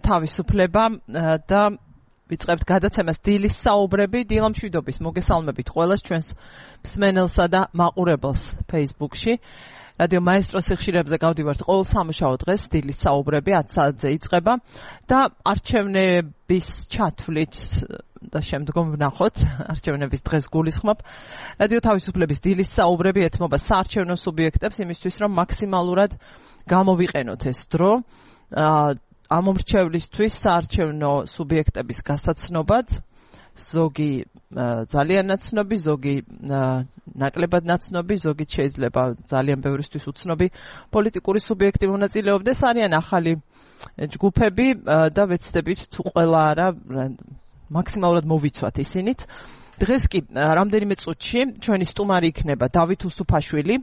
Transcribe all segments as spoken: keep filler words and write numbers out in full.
თავისუფლება და ვიწყებთ გადაცემას დილის საუბრები. დილა მშვიდობის მოგესალმებით ყველას ჩვენს მსმენელსა და მაყურებელს Facebook-ში. რადიო მაესტროს სიხშირეებზე გავდივართ ყოველ სამუშაო დღეს დილის საუბრები ათ საათზე იწყება და არჩევნების ჩათვლით და შემდგომ ვნახოთ არჩევნების დღეს გულისხმობ. რადიო თავისუფლების დილის საუბრები ეთმობა საარჩევნო სუბიექტებს იმისთვის რომ მაქსიმალურად გამოვიყენოთ ეს დრო ამომრჩევლისთვის საარჩევნო სუბიექტების გასაცნობად, ზოგი ძალიან ნაცნობი, ზოგი ნაკლებად ნაცნობი, ზოგი შეიძლება ძალიან ბევრისთვის უცნობი პოლიტიკური სუბიექტი მონაწილეობდეს. არიან ახალი ჯგუფები და ვეცდებით თუ ყველა არა მაქსიმალურად მოვიცვათ ისინიც. დღეს კი რამდენიმე წუთში ჩვენი სტუმარი იქნება დავით უსუფაშვილი,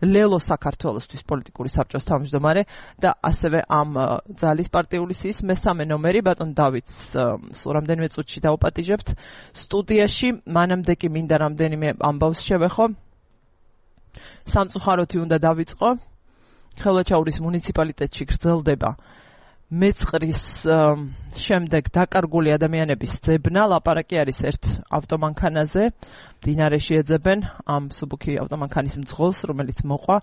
ლელო საქართველოსთვის პოლიტიკური საბჭოს თავმჯდომარე და ასევე ამ ძალის პარტიული სიის მესამე ნომერი ბატონ დავითს სულ რამდენიმე წუთში დავაპატიჟებთ სტუდიაში. მანამდე კი მინდა რამდენიმე ამბავს შევეხო. სამწუხაროთი უნდა დავიწყო. ხელვაჩაურის მუნიციპალიტეტში გრძელდება მეწყრის შემდეგ დაკარგული ადამიანების ძებნა. ლაპარაკი არის ერთ ავტომანქანაზე. მდინარეში ეძებენ ამ მსუბუქი ავტომანქანის მძღოლს, რომელიც მოყვა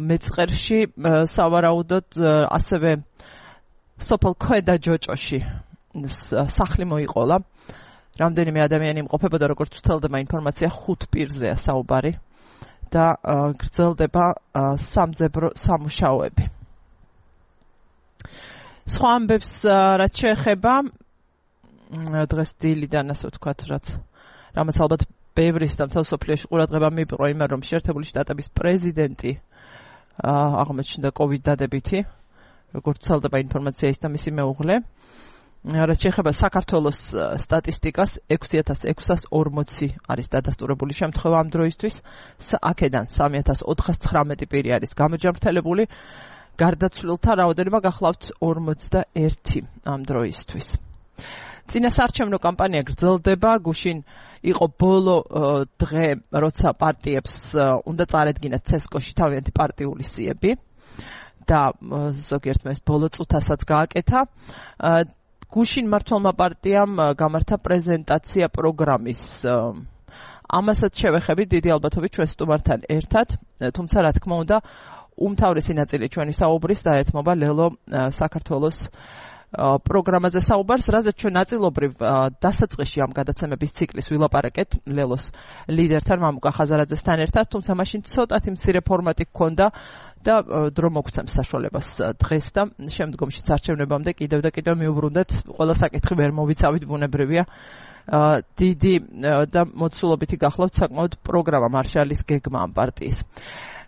მეწყერში. სავარაუდოდ ასევე სოფელ ქვედა ჯოჭოში სახლი მოიყოლა. რამდენიმე ადამიანი იმყოფებოდა, როგორც ვცელდება ინფორმაცია, ხუთ პირზეა საუბარი და გრძელდება სამძებრო სამუშაოები. სხვა ამბებს რაც შეეხება დღეს დილიდან ასე ვთქვათ, რაც რამაც ალბათ ბევრის და მთელ სოფლიოში ყურადღება მიიპყრო იმან, რომ შეერთებული შტატების პრეზიდენტი აღმოჩნდა კოვიდ დადებითი, როგორც ვცელდება ინფორმაცია ის და მისი მეუღლე. რაც შეეხება საქართველოს სტატისტიკას, ექვსი ათას ექვსას ორმოცი არის დადასტურებული შემთხვევა ამ დროისთვის, აქედან სამი ათას ოთხას ცხრამეტი პირი არის გამოჯანმრთელებული. გარდაცვლილთა რაოდენობა გახლავთ ორმოცდაერთი ამ დროისთვის. წინასაარჩევნო კამპანია გრძელდება. გუშინ იყო ბოლო დღე, როცა პარტიებს უნდა წარედგინათ ცესკოში თავიანთი პარტიული სიები და ზოგიერთმა ეს ბოლო წუთასაც გააკეთა. გუშინ მართლმა პარტიამ გამართა პრეზენტაცია პროგრამის. ამასაც შევეხებით დიდი ალბათობით ჩვენ სტუმართან ერთად, თუმცა რა თქმა უნდა უმთავრესი ნაწილი ჩვენი საუბრის დაეთმობა ლელო საქართველოს პროგრამაზე საუბარს, რაზეც ჩვენ ნაწილობრივ დასაწყისში ამ გადაცემების ციკლის ვილაპარაკეთ ლელოს ლიდერთან მამუკა ხაზარაძესთან ერთად, თუმცა მაშინ ცოტათი მცირე ფორმატი გქონდა და დრო მოგცემს საშუალებას დღეს და შემდგომშიც არჩევნებამდე კიდევ და კიდევ მიუბრუნდეთ. ყველა საკითხი ვერ მოვიცავით, ბუნებრივია. დიდი და მოცულობითი გახლავთ საკმაოდ პროგრამა მარშალის გეგმა ამ პარტიის.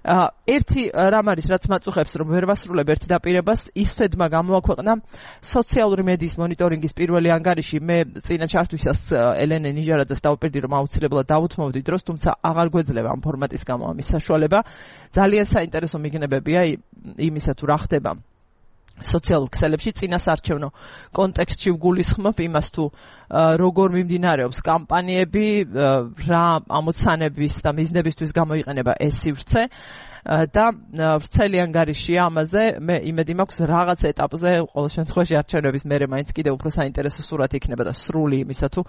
ერთი რამ არის, რაც მაწუხებს, რომ ვერ ვასრულებ ერთ დაპირებას, ისვედმა გამოაქვეყნა სოციალური მედიის მონიტორინგის პირველი ანგარიში. მე წინა ჩართვისას ელენე ნიჟარაძეს დავუპირდი, რომ აუცილებლად დავუთმოვდი დროს, თუმცა აღარ გვეძლევა ამ ფორმატის გამო ამის საშუალება. ძალიან საინტერესო მიგნებებია იმისა, თუ რა ხდება სოციალურ ქსელებში წინასაარჩევნო კონტექსტში ვგულისხმობ იმას, თუ როგორ მიმდინარეობს კამპანიები, რა ამოცანების და მიზნებისთვის გამოიყენება ეს სივრცე და ვრცელი ანგარიშია ამაზე. მე იმედი მაქვს რაღაც ეტაპზე ყოველ შემთხვევაში არჩევნების მერე მაინც კიდევ უფრო საინტერესო სურათი იქნება და სრული იმისა, თუ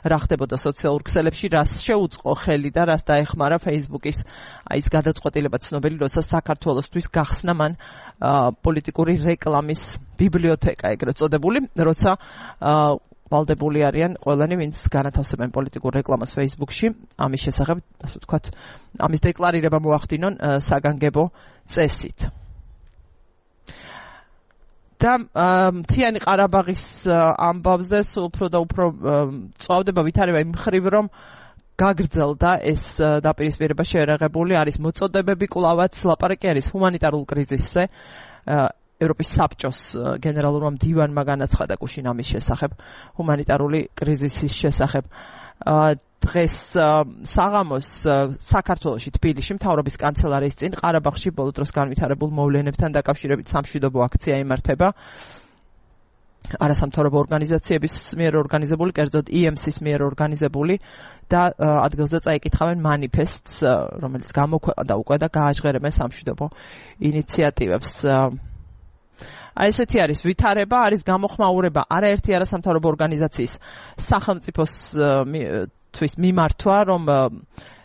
რა ხდებოდა სოციალურ ქსელებში, რას შეუწყო ხელი და რას დაეხმარა Facebook-ის აი ეს გადაწყვეტილება ცნობილი, როცა საქართველოსთვის გახსნა მან პოლიტიკური რეკლამის ბიბლიოთეკა ეგრეთ წოდებული, როცა ვალდებული არიან ყველანი, ვინც განათავსებენ პოლიტიკურ რეკლამას Facebook-ში. ამის შესახებ, ასე ვთქვათ, ამის დეკლარირება მოახდინონ საგანგებო წესით. და მთიანი ყარაბაღის ამბავზე სულ უფრო და უფრო წვავდება ვითარება იმ მხრივ, რომ გაგრძელდა ეს დაპირისპირება შეერაღებული არის მოწოდებები კვლავაც. ლაპარაკი არის ჰუმანიტარულ კრიზისზე. ევროპის საბჭოს გენერალურმა მდივანმა განაცხადა გუშინ ამის შესახებ, ჰუმანიტარული კრიზისის შესახებ. დღეს საღამოს საქართველოში თბილისში მთავრობის კანცელარიის წინ ყარაბაღში ბოლო დროს განვითარებულ მოვლენებთან დაკავშირებით სამშვიდობო აქცია იმართება. არასამთავრობო ორგანიზაციების მიერ ორგანიზებული, კერძოდ ი ემ სის მიერ ორგანიზებული და ადგილზე წაიკითხავენ მანიფესტს, რომელიც გამოქვეყნდა უკვე და გააჟღერებენ სამშვიდობო ინიციატივებს. აი ესეთი არის ვითარება, არის გამოხმაურება არაერთი არასამთავრობო ორგანიზაციის სახელმწიფოსთვის მიმართვა, რომ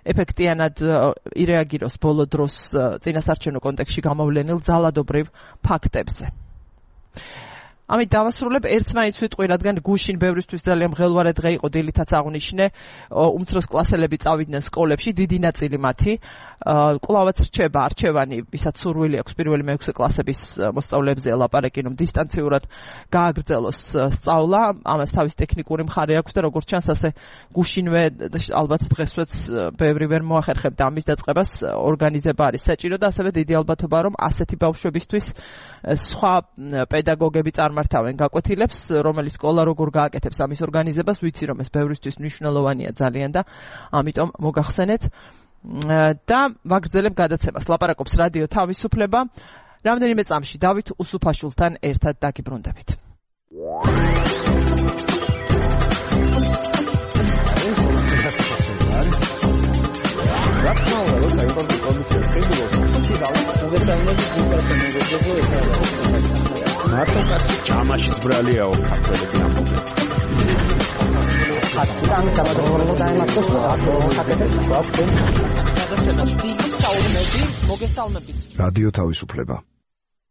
ეფექტიანად ირეაგიროს ბოლო დროს წინასარჩევნო კონტექსტში გამოვლენილ ძალადობრივ ფაქტებზე. ამით დავასრულებ ერთს მაინც ვიტყვი, რადგან გუშინ ბევრისთვის ძალიან მღელვარე დღე იყო, დილითაც აღნიშნე, უმცროს კლასელები წავიდნენ სკოლებში, დიდი ნაწილი მათი, კვლავაც რჩება არჩევანი, ვისაც სურვილი აქვს პირველი მეექვსე კლასების მოსწავლეებზე ელაპარაკი, რომ დისტანციურად გააგრძელოს სწავლა, ამას თავის ტექნიკური მხარე აქვს და როგორც ჩანს, ასე გუშინვე ალბათ დღესვეც ბევრი ვერ მოახერხებდა ამის დაწყებას, ორგანიზება არის საჭირო და ასევე დიდი ალბათობა, რომ ასეთი ბავშვებისთვის სხვა პედაგოგები წარმართავენ გაკვეთილებს, რომელი სკოლა როგორ გააკეთებს ამის ორგანიზებას, ვიცი რომ ეს ბევრისთვის მნიშვნელოვანია ძალიან და ამიტომ მოგახსენეთ და ვაგრძელებ გადაცემას. ლაპარაკობს რადიო თავისუფლება. რამდენიმე წამში დავით უსუფაშვილთან ერთად დაგიბრუნდებით. მარტო კაცი ჯამაშიც ბრალიაო ქართველები ამბობენ. ხატიდან გამოდროულობა დაემართოს მოგესალმებით. რადიო თავისუფლება.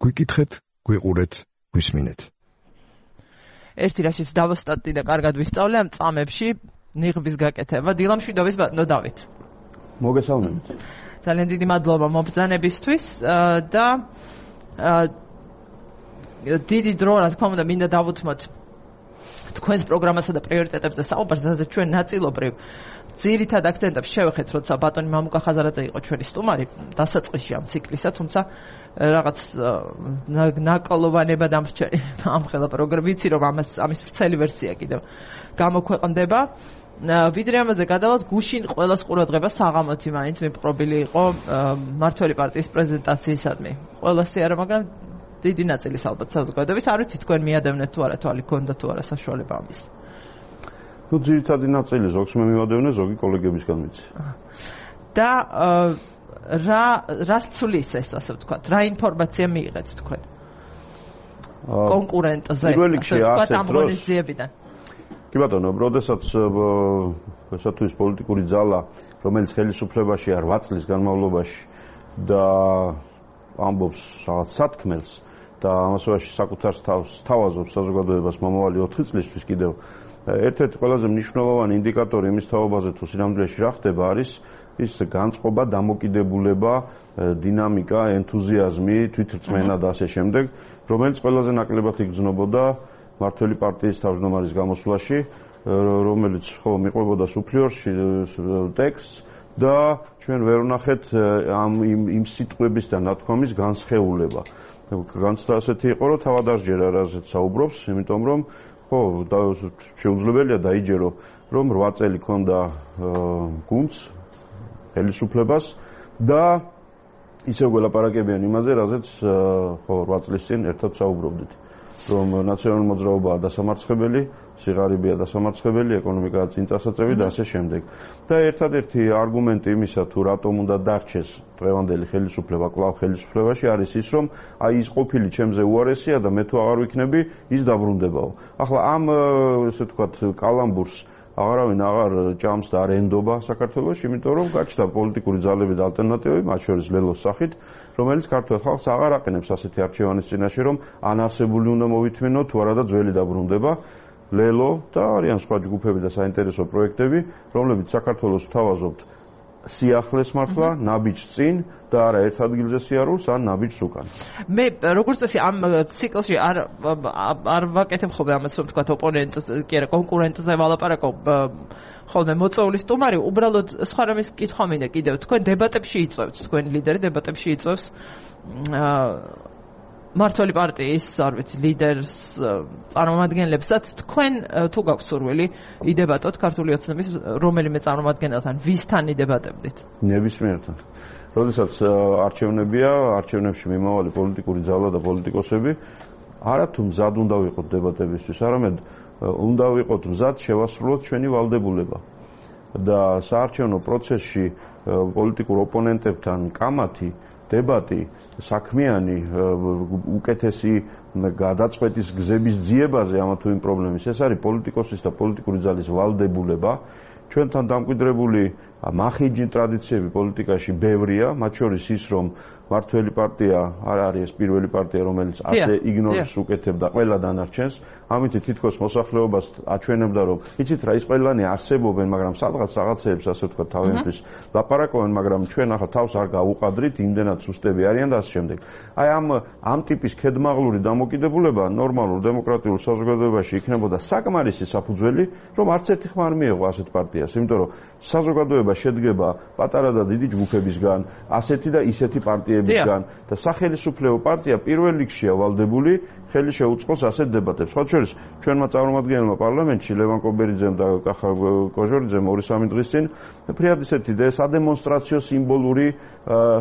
გვიკითხეთ, გვიყურეთ, გვისმინეთ. ერთი რაშიც დავოსტატი და კარგად ვისწავლე ამ წამებში ნიღბის გაკეთება. დილამშვიდობის ბატონო დავით. მოგესალმებით. ძალიან დიდი მადლობა მობრძანებისთვის და დიდი დრო, რა თქმა უნდა, მინდა დავუთმოთ თქვენს პროგრამასა და პრიორიტეტებზე საუბარს, ასე ჩვენ ნაწილობრივ ძირითად აქცენტებს შევეხეთ, როცა ბატონი მამუკა ხაზარაძე იყო ჩვენი სტუმარი დასაწყისში ამ ციკლისა, თუმცა რაღაც ნაკოლოვანება დამრჩა ამ ხელა პროგრამა, ვიცი რომ ამას ამის ვრცელი ვერსია კიდევ გამოქვეყნდება. ვიდრე ამაზე გადავალთ, გუშინ ყველას ყურადღება საღამოთი მაინც მიპყრობილი იყო მმართველი პარტიის პრეზენტაციისადმი. ყველასი არა, მაგრამ დიდი ნაწილის ალბათ საზოგადოების, არ ვიცი თქვენ მიადევნეთ თუ არა, თვალი გქონდა თუ არა საშუალება ამის. ნუ ძირითადი ნაწილი ზოგს მე მივადევნე, ზოგი კოლეგებისგან ვიცი. და რა რას ცulis ეს ასე ვთქვათ, რა ინფორმაცია მიიღეთ თქვენ? კონკურენტზე, ასე ვთქვათ, ამ ღონისძიებიდან. კი ბატონო, როდესაც ესათვის პოლიტიკური ძალა, რომელიც ხელისუფლებაში არ რვა წლის განმავლობაში და ამბობს რაღაც სათქმელს და ამასობაში საკუთარ თავს თავაზობს საზოგადოებას მომავალი ოთხი წლისთვის კიდევ ერთ-ერთი ყველაზე მნიშვნელოვანი ინდიკატორი იმის თაობაზე თუ სინამდვილეში რა ხდება არის ის განწყობა, დამოკიდებულება, დინამიკა, ენთუზიაზმი, თვითრწმენა და ასე შემდეგ, რომელიც ყველაზე ნაკლებად იგრძნობოდა მმართველი პარტიის თავმჯდომარის გამოსვლაში, რომელიც ხო მიყვებოდა სუფლიორში ტექსტს და ჩვენ ვერ ვნახეთ ამ იმ სიტყვების და ნათქვამის განსხეულება. განცდა ასეთი იყო, რომ თავად არ ჯერა რაზეც საუბრობს, იმიტომ რომ ხო შეუძლებელია დაიჯერო, რომ რვა წელი ქონდა გუნდს ხელისუფლებას და ისევ გველაპარაკებიან იმაზე, რაზეც ხო რვა წლის წინ ერთად საუბრობდით. რომ ნაციონალური მოძრაობაა დასამარცხებელი, სიღარიბეა დასამარცხებელი, ეკონომიკაა წინ წასაწევი და ასე შემდეგ. და ერთადერთი არგუმენტი იმისა, თუ რატომ უნდა დარჩეს დღევანდელი ხელისუფლება კვლავ ხელისუფლებაში, არის ის, რომ აი ის ყოფილი ჩემზე უარესია და მე თუ აღარ ვიქნები, ის დაბრუნდებაო. ახლა ამ ესე ვთქვათ კალამბურს აღარავინ აღარ ჭამს და არ ენდობა საქართველოში, იმიტომ რომ გაჩნდა პოლიტიკური ძალები და ალტერნატივები, მათ შორის ლელოს სახით, რომელიც ქართულ ხალხს აღარ აყენებს ასეთი არჩევანის წინაშე, რომ ან არსებული უნდა მოვითმინო, თუ არა და ძველი დაბრუნდება. ლელო და არიან სხვა ჯგუფები და საინტერესო პროექტები, რომლებიც საქართველოს ვთავაზობთ სიახლეს მართლა, ნაბიჯს წინ და არა ერთ ადგილზე სიარულს, ან ნაბიჯს უკან. მე როგორც წესი ამ ციკლში არ არ ვაკეთებ ხოლმე ამას, რომ თქვა ოპონენტს, კი არა, კონკურენტზე ვალაპარაკობ ხოლმე მოწვეული სტუმარი, უბრალოდ სხვა რამის კითხვა მინდა კიდევ, თქვენ დებატებში იწვევთ, თქვენი ლიდერი დებატებში იწვევს მმართველი პარტიის, არ ვიცი, ლიდერს, წარმომადგენლებსაც, თქვენ თუ გაქვთ სურვილი იდებატოთ ქართული ოცნების რომელიმე წარმომადგენელთან, ვისთან იდებატებდით? ნებისმიერთან. როდესაც არჩევნებია, არჩევნებში მიმავალი პოლიტიკური ძალა და პოლიტიკოსები, არა თუ მზად უნდა ვიყოთ დებატებისთვის, არამედ უნდა ვიყოთ მზად შევასრულოთ ჩვენი ვალდებულება. და საარჩევნო პროცესში პოლიტიკურ ოპონენტებთან კამათი დებატი, საქმიანი, უკეთესი გადაწყვეტის გზების ძიებაზე ამა თუ იმ პრობლემის. ეს არის პოლიტიკოსის და პოლიტიკური ძალის ვალდებულება. ჩვენთან დამკვიდრებული მახიჯი ტრადიციები პოლიტიკაში ბევრია, მათ შორის ის, რომ მართველი პარტია არ არის ეს პირველი პარტია, რომელიც ასე იგნორს უკეთებდა ყველა დანარჩენს. ამით თითქოს მოსახლეობას აჩვენებდა, რომ იცით რა, ის ყველანი არსებობენ, მაგრამ სადღაც რაღაცეებს ასე ვთქვათ თავიანთვის ლაპარაკობენ, მაგრამ ჩვენ ახლა თავს არ გავუყადრით, იმდენად სუსტები არიან და ასე შემდეგ. აი ამ ამ ტიპის ქედმაღლური დამოკიდებულება ნორმალურ დემოკრატიულ საზოგადოებაში იქნებოდა საკმარისი საფუძველი, რომ არც ერთი ხმა არ მიეღო ასეთ პარტიას, იმიტომ რომ საზოგადოება შედგება პატარა და დიდი ჯგუფებისგან, ასეთი და ისეთი პარტიებისგან და სახელმწიფო პარტია პირველ რიგშია ვალდებული ხელი შეუწყოს ასეთ დებატებს. სხვა შორის ჩვენმა წარმომადგენელმა პარლამენტში ლევან კობერიძემ და კახა კოჟორიძემ ორი სამი დღის წინ ფრიად ისეთი და სადემონსტრაციო სიმბოლური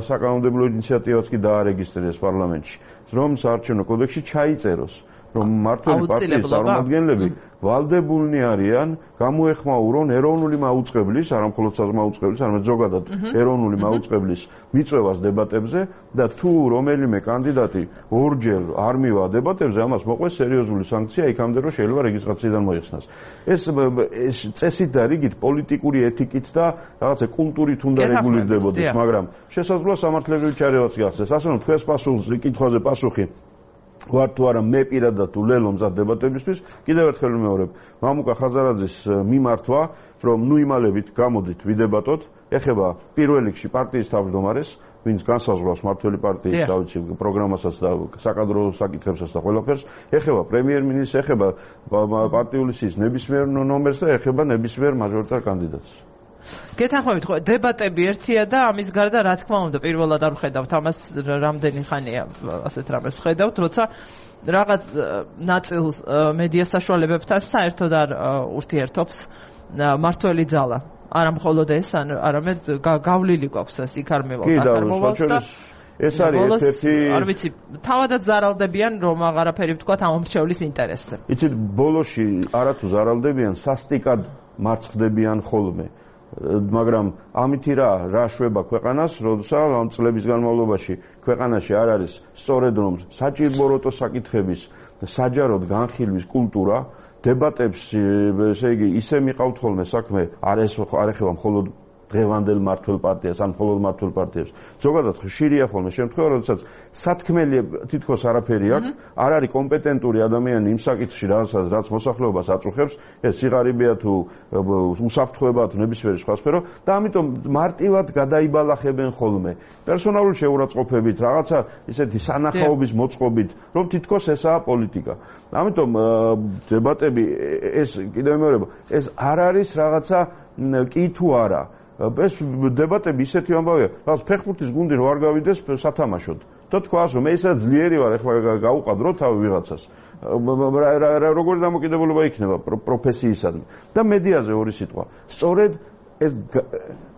საკანონმდებლო ინიციატივაც კი დაარეგისტრირეს პარლამენტში, რომ საარჩევნო კოდექსში ჩაიწეროს, რომ მმართველი პარტიის წარმომადგენლები ვალდებულნი არიან გამოეხმაურონ ეროვნული მაუწყებლის, არა მხოლოდ საზმაუწყებლის, არამედ ზოგადად ეროვნული მაუწყებლის მიწვევას დებატებზე და თუ რომელიმე კანდიდატი ორჯერ არ მივა დებატებზე, ამას მოყვეს სერიოზული სანქცია იქამდე, რომ შეიძლება რეგისტრაციიდან მოიხსნას. ეს ეს წესით და რიგით პოლიტიკური ეთიკით და რაღაცა კულტურით უნდა რეგულირდებოდეს, მაგრამ შესაძლოა სამართლებრივი ჩარევაც გახდეს. ასე რომ თქვენს პასუხს კითხვაზე პასუხი ვარ თუ არა მე პირადად თუ ლელო მზად დებატებისთვის, კიდევ ერთხელ ვიმეორებ, მამუკა ხაზარაძის მიმართვა, რომ ნუ იმალებით გამოდით ვიდებატოთ, ეხება პირველ რიგში პარტიის თავმჯდომარეს, ვინც განსაზღვრავს მმართველი პარტიის დავიცი პროგრამასაც და საკადრო საკითხებსაც და ყველაფერს, ეხება პრემიერ-მინისტრს, ეხება პარტიული სიის ნებისმიერ ნომერს და ეხება ნებისმიერ მაჟორიტარ კანდიდატს. გეთანხმებით ხო, დებატები ერთია და ამის გარდა რა თქმა უნდა პირველად არ ვხედავთ ამას რამდენი ხანია ასეთ რამეს ვხედავთ, როცა რაღაც ნაწილს მედია საშუალებებთან საერთოდ არ ურთიერთობს მმართველი ძალა. არა მხოლოდ ეს, არამედ გავლილი გვაქვს ეს იქ არ მევალ აქ მოვალ და ეს არის ერთ-ერთი არ ვიცი, თავადაც ზარალდებიან რომ აღარაფერი ვთქვათ ამ მრჩევლის ინტერესზე. იცით, ბოლოში არათუ ზარალდებიან, სასტიკად მარცხდებიან ხოლმე. მაგრამ ამითი რა რა შვება ქვეყანას, როდესაც ამ წლების განმავლობაში ქვეყანაში არ არის სწორედ რომ საჭიროებო საკითხების საჯაროდ განხილვის კულტურა, დებატებს, ესე იგი, ისე მიყავთ ხოლმე საქმე, არ ეს არ ეხება მხოლოდ დღევანდელ მმართველ პარტიას, ან მხოლოდ მმართველ პარტიებს. ზოგადად ხშირია ხოლმე შემთხვევა, როდესაც სათქმელი თითქოს არაფერი აქვს, არ არის კომპეტენტური ადამიანი იმ საკითხში, რასაც რაც მოსახლეობას აწუხებს, ეს სიღარიბეა თუ უსაფრთხოებაა თუ ნებისმიერი სხვა სფერო და ამიტომ მარტივად გადაიბალახებენ ხოლმე. პერსონალური შეურაცხყოფებით, რაღაცა ისეთი სანახაობის მოწყობით, რომ თითქოს ესაა პოლიტიკა. ამიტომ დებატები ეს კიდევ მეორე, ეს არ არის რაღაცა კი თუ არა. ეს დებატები ისეთი ამბავია, რაღაც ფეხბურთის გუნდი რო არ გავიდეს სათამაშოდ. და თქვას რომ ესა ძლიერი ვარ, ეხლა გავუყადრო თავი ვიღაცას. როგორი დამოკიდებულება იქნება პროფესიისადმი. და მედიაზე ორი სიტყვა. სწორედ ეს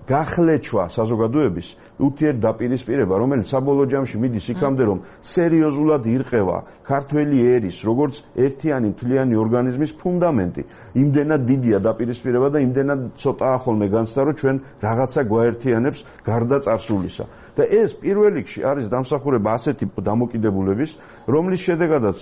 გახლეჩვა საზოგადოების ურთიერთდაპირისპირება, რომელიც საბოლოო ჯამში მიდის იქამდე, რომ სერიოზულად ირყევა ქართველი ერის, როგორც ერთიანი მთლიანი ორგანიზმის ფუნდამენტი. იმდენად დიდია დაპირისპირება და იმდენად ცოტაა ხოლმე განცდა, რომ ჩვენ რაღაცა გვაერთიანებს გარდა წარსულისა. და ეს პირველ რიგში არის დამსახურება ასეთი დამოკიდებულების, რომლის შედეგადაც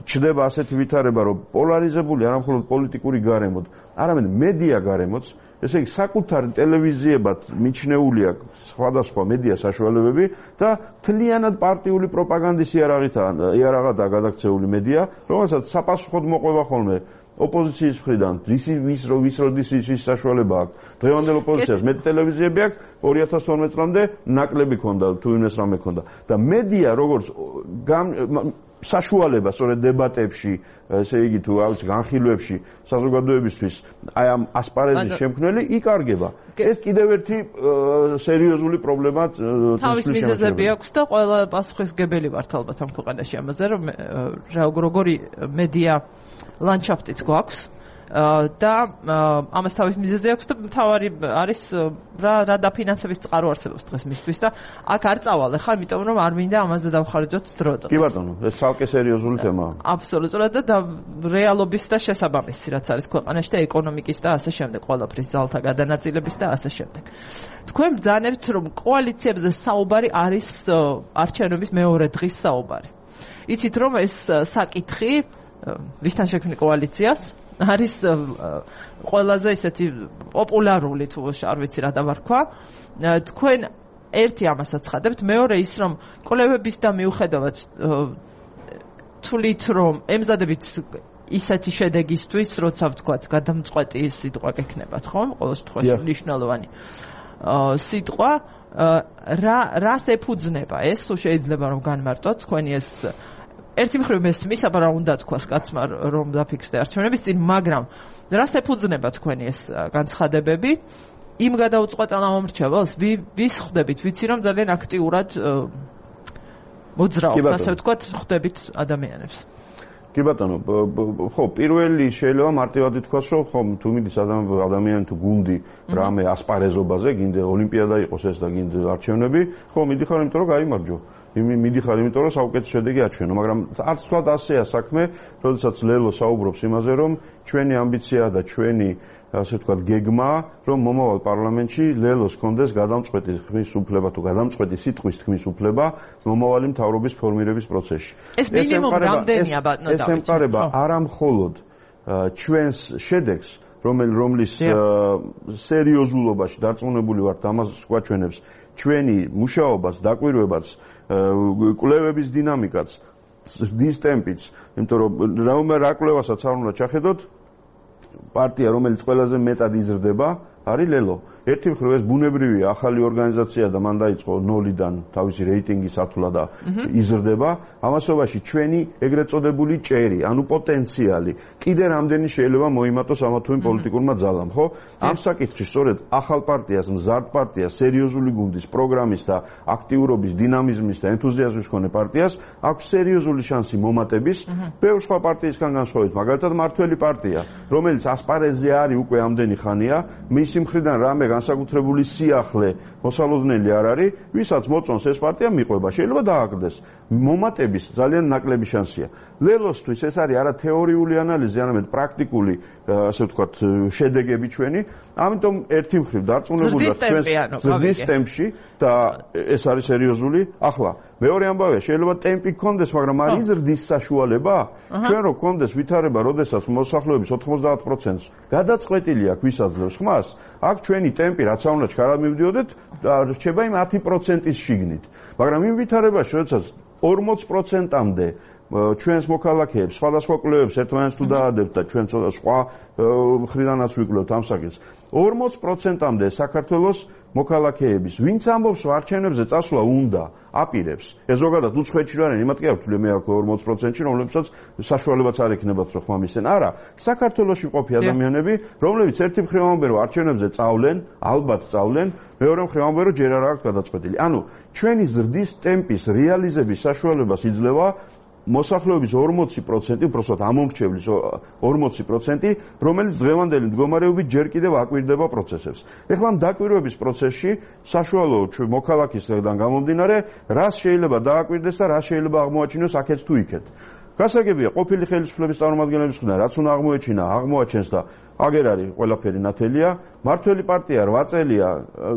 ჩდება ასეთი ვითარება, რომ პოლარიზებული არა მხოლოდ პოლიტიკური გარემოდ, არამედ მედია გარემოც, ესე იგი საკუთარი ტელევიზიებად მიჩნეული აქვს სხვადასხვა მედია საშუალებები და მთლიანად პარტიული პროპაგანდის იარაღითაა იარაღადაა გადაქცეული მედია, რომელსაც sapasუხოდ მოყვება ხოლმე ოპოზიციის მხრიდან, ისი ვის რო ვის როდის ის საშუალება აქვს. დღევანდელ ოპოზიციას მეტ ტელევიზიები აქვს, ორი ათას თორმეტ წლამდე ნაკლები ქონდა, თუ იმეს რამე ქონდა. და მედია როგორც საშუალება სწორედ დებატებში, ესე იგი თუ რა ვიცი, განხილვებში საზოგადოებისთვის აი ამ ასპარეზის შემქმნელი იკარგება. ეს კიდევ ერთი სერიოზული პრობლემა თავის მიზეზები აქვს და ყველა პასუხისმგებელი ვართ ალბათ ამ ქვეყანაში ამაზე, რომ როგორი მედია ლანდშაფტიც გვაქვს და ამას თავის მიზეზი აქვს და მთავარი არის რა რა დაფინანსების წყარო არსებობს დღეს მისთვის და აქ არ წავალ ხა იმიტომ რომ არ მინდა ამაზე დავხარჯოთ დრო. კი ბატონო, ეს ცალკე სერიოზული თემაა. აბსოლუტურად და რეალობის და შესაბამისი რაც არის ქვეყანაში და ეკონომიკის და ასე შემდეგ ყველაფრის ძალთა გადანაწილების და ასე შემდეგ. თქვენ ბრძანებთ რომ კოალიციებზე საუბარი არის არჩევნების მეორე დღის საუბარი. იცით რომ ეს საკითხი ვისთან შექმნი კოალიციას არის ყველაზე ისეთი პოპულარული თუ არ ვიცი რა დავარქვა. თქვენ ერთი ამას აცხადებთ, მეორე ის რომ კოლევების და მიუხედავად თulit რომ ემზადებით ისეთი შედეგისთვის, როცა ვთქვათ, გადამწყვეტი სიტყვა გექნებათ, ხო? ყოველ შემთხვევაში მნიშვნელოვანი სიტყვა რა რას ეფუძნება ეს, თუ შეიძლება რომ განმარტოთ თქვენი ეს ერთი მხრივ მესმის, აბა რა უნდა თქვას კაცმა რომ დაფიქრდე არჩევნების წინ, მაგრამ რას ეფუძნება თქვენი ეს განცხადებები? იმ გადაუწყვეტელ ამომრჩეველს ვის ხვდებით, ვიცი რომ ძალიან აქტიურად მოძრაობს, ასე ვთქვათ, ხვდებით ადამიანებს. კი ბატონო, ხო, პირველი შეიძლება მარტივად ითქვას, რომ ხო, თუ მიდის ადამიანი თუ გუნდი რამე ასპარეზობაზე, გინდა ოლიმპიადა იყოს ეს და გინდა არჩევნები, ხო, მიდიხარ, იმიტომ რომ გაიმარჯვო. იმი მიდიხარ, იმიტომ რომ საუკეთესო შედეგი აჩვენო, მაგრამ არც თქვა ასეა საქმე, როდესაც ლელო საუბრობს იმაზე, რომ ჩვენი ამბიცია და ჩვენი ასე ვთქვათ, გეგმა, რომ მომავალ პარლამენტში ლელოს კონდეს გადამწყვეტი ხმის უფლება თუ გადამწყვეტი სიტყვის თქმის უფლება მომავალი მთავრობის ფორმირების პროცესში. ეს მინიმუმ რამდენია ბატონო დავით? ეს ემყარება არა მხოლოდ ჩვენს შედეგს, რომელ რომლის სერიოზულობაში დარწმუნებული ვართ, ამას გვაჩვენებს ჩვენი მუშაობას, დაკვირვებაც, კვლევების დინამიკაც, დის ტემპიც, იმიტომ რომ რა კვლევასაც არ უნდა ჩახედოთ, პარტია, რომელიც ყველაზე მეტად იზრდება, არის ლელო. ერთი მხრივ ეს ბუნებრივია, ახალი ორგანიზაცია და მან დაიწყო ნოლიდან თავისი რეიტინგის ათვლა და იზრდება. ამასობაში ჩვენი ეგრეთ წოდებული ჭერი, ანუ პოტენციალი, კიდე რამდენი შეიძლება მოიმატოს ამა თუ იმ პოლიტიკურმა ძალამ, ხო? ამ საკითხში სწორედ ახალ პარტიას, მზარდ პარტიას, სერიოზული გუნდის, პროგრამის და აქტიურობის, დინამიზმის და ენთუზიაზმის მქონე პარტიას აქვს სერიოზული შანსი მომატების, ბევრ სხვა პარტიისგან განსხვავებით, მაგალითად მართველი პარტია, რომელიც ასპარეზზე არის უკვე ამდენი ხანია, მისი მხრიდან რამე განსაკუთრებული სიახლე მოსალოდნელი არ არის, ვისაც მოწონს ეს პარტია მიყვება, შეიძლება დააგდეს. მომატების ძალიან ნაკლები შანსია. ლელოსთვის ეს არის არა თეორიული ანალიზი, არამედ პრაქტიკული, ასე ვთქვათ, შედეგები ჩვენი. ამიტომ ერთი მხრივ დარწმუნებული ვართ ჩვენს ზრდის ტემპში და ეს არის სერიოზული. ახლა მეორე ამბავია, შეიძლება ტემპი გქონდეს, მაგრამ არის ზრდის საშუალება? ჩვენ რო გქონდეს ვითარება, როდესაც მოსახლეობის ოთხმოცდაათ პროცენტს გადაწყვეტილი აქვს ვისაძლევს ხმას, აქ ჩვენი ტემპი რაც არ უნდა ჩქარა მივდიოდეთ და რჩება იმ ათი პროცენტის შიგნით. მაგრამ იმ ვითარებაში, როდესაც ორმოც პროცენტამდე ჩვენს მოქალაქეებს, სხვადასხვა კვლევებს ერთმანეთს თუ დაადებთ და ჩვენ ცოტა სხვა მხრიდანაც ვიკვლევთ ამ საკითხს. ორმოც პროცენტამდე საქართველოს მოქალაქეების, ვინც ამბობს, რომ არჩევნებზე წასვლა უნდა, აპირებს. ეს ზოგადად უცხოეთში რა არის, იმათ კი არ ვთვლი მე აქ ორმოც პროცენტში, რომლებსაც საშუალებაც არ ექნებათ, რომ ხმა მისცენ. არა, საქართველოში მყოფი ადამიანები, რომლებიც ერთი მხრივ ამბობენ, რომ არჩევნებზე წავლენ, ალბათ წავლენ, მეორე მხრივ ამბობენ, რომ ჯერ არ აქვს გადაწყვეტილი. ანუ ჩვენი ზრდის ტემპის რეალიზების საშუალებას იძლევა მოსახლეობის ორმოცი პროცენტი, უბრალოდ ამომრჩევლის ორმოცი პროცენტი, რომელიც დღევანდელი მდგომარეობით ჯერ კიდევ აკვირდება პროცესებს. ეხლა ამ დაკვირვების პროცესში საშუალო მოქალაქისგან გამომდინარე, რას შეიძლება დააკვირდეს და რა შეიძლება აღმოაჩინოს აქეთ თუ იქეთ. გასაგებია, ყოფილი ხელისუფლების წარმომადგენლების მხრიდან რაც უნდა აღმოეჩინა, აღმოაჩენს და აგერ არის ყველაფერი ნათელია. მართველი პარტია რვა წელია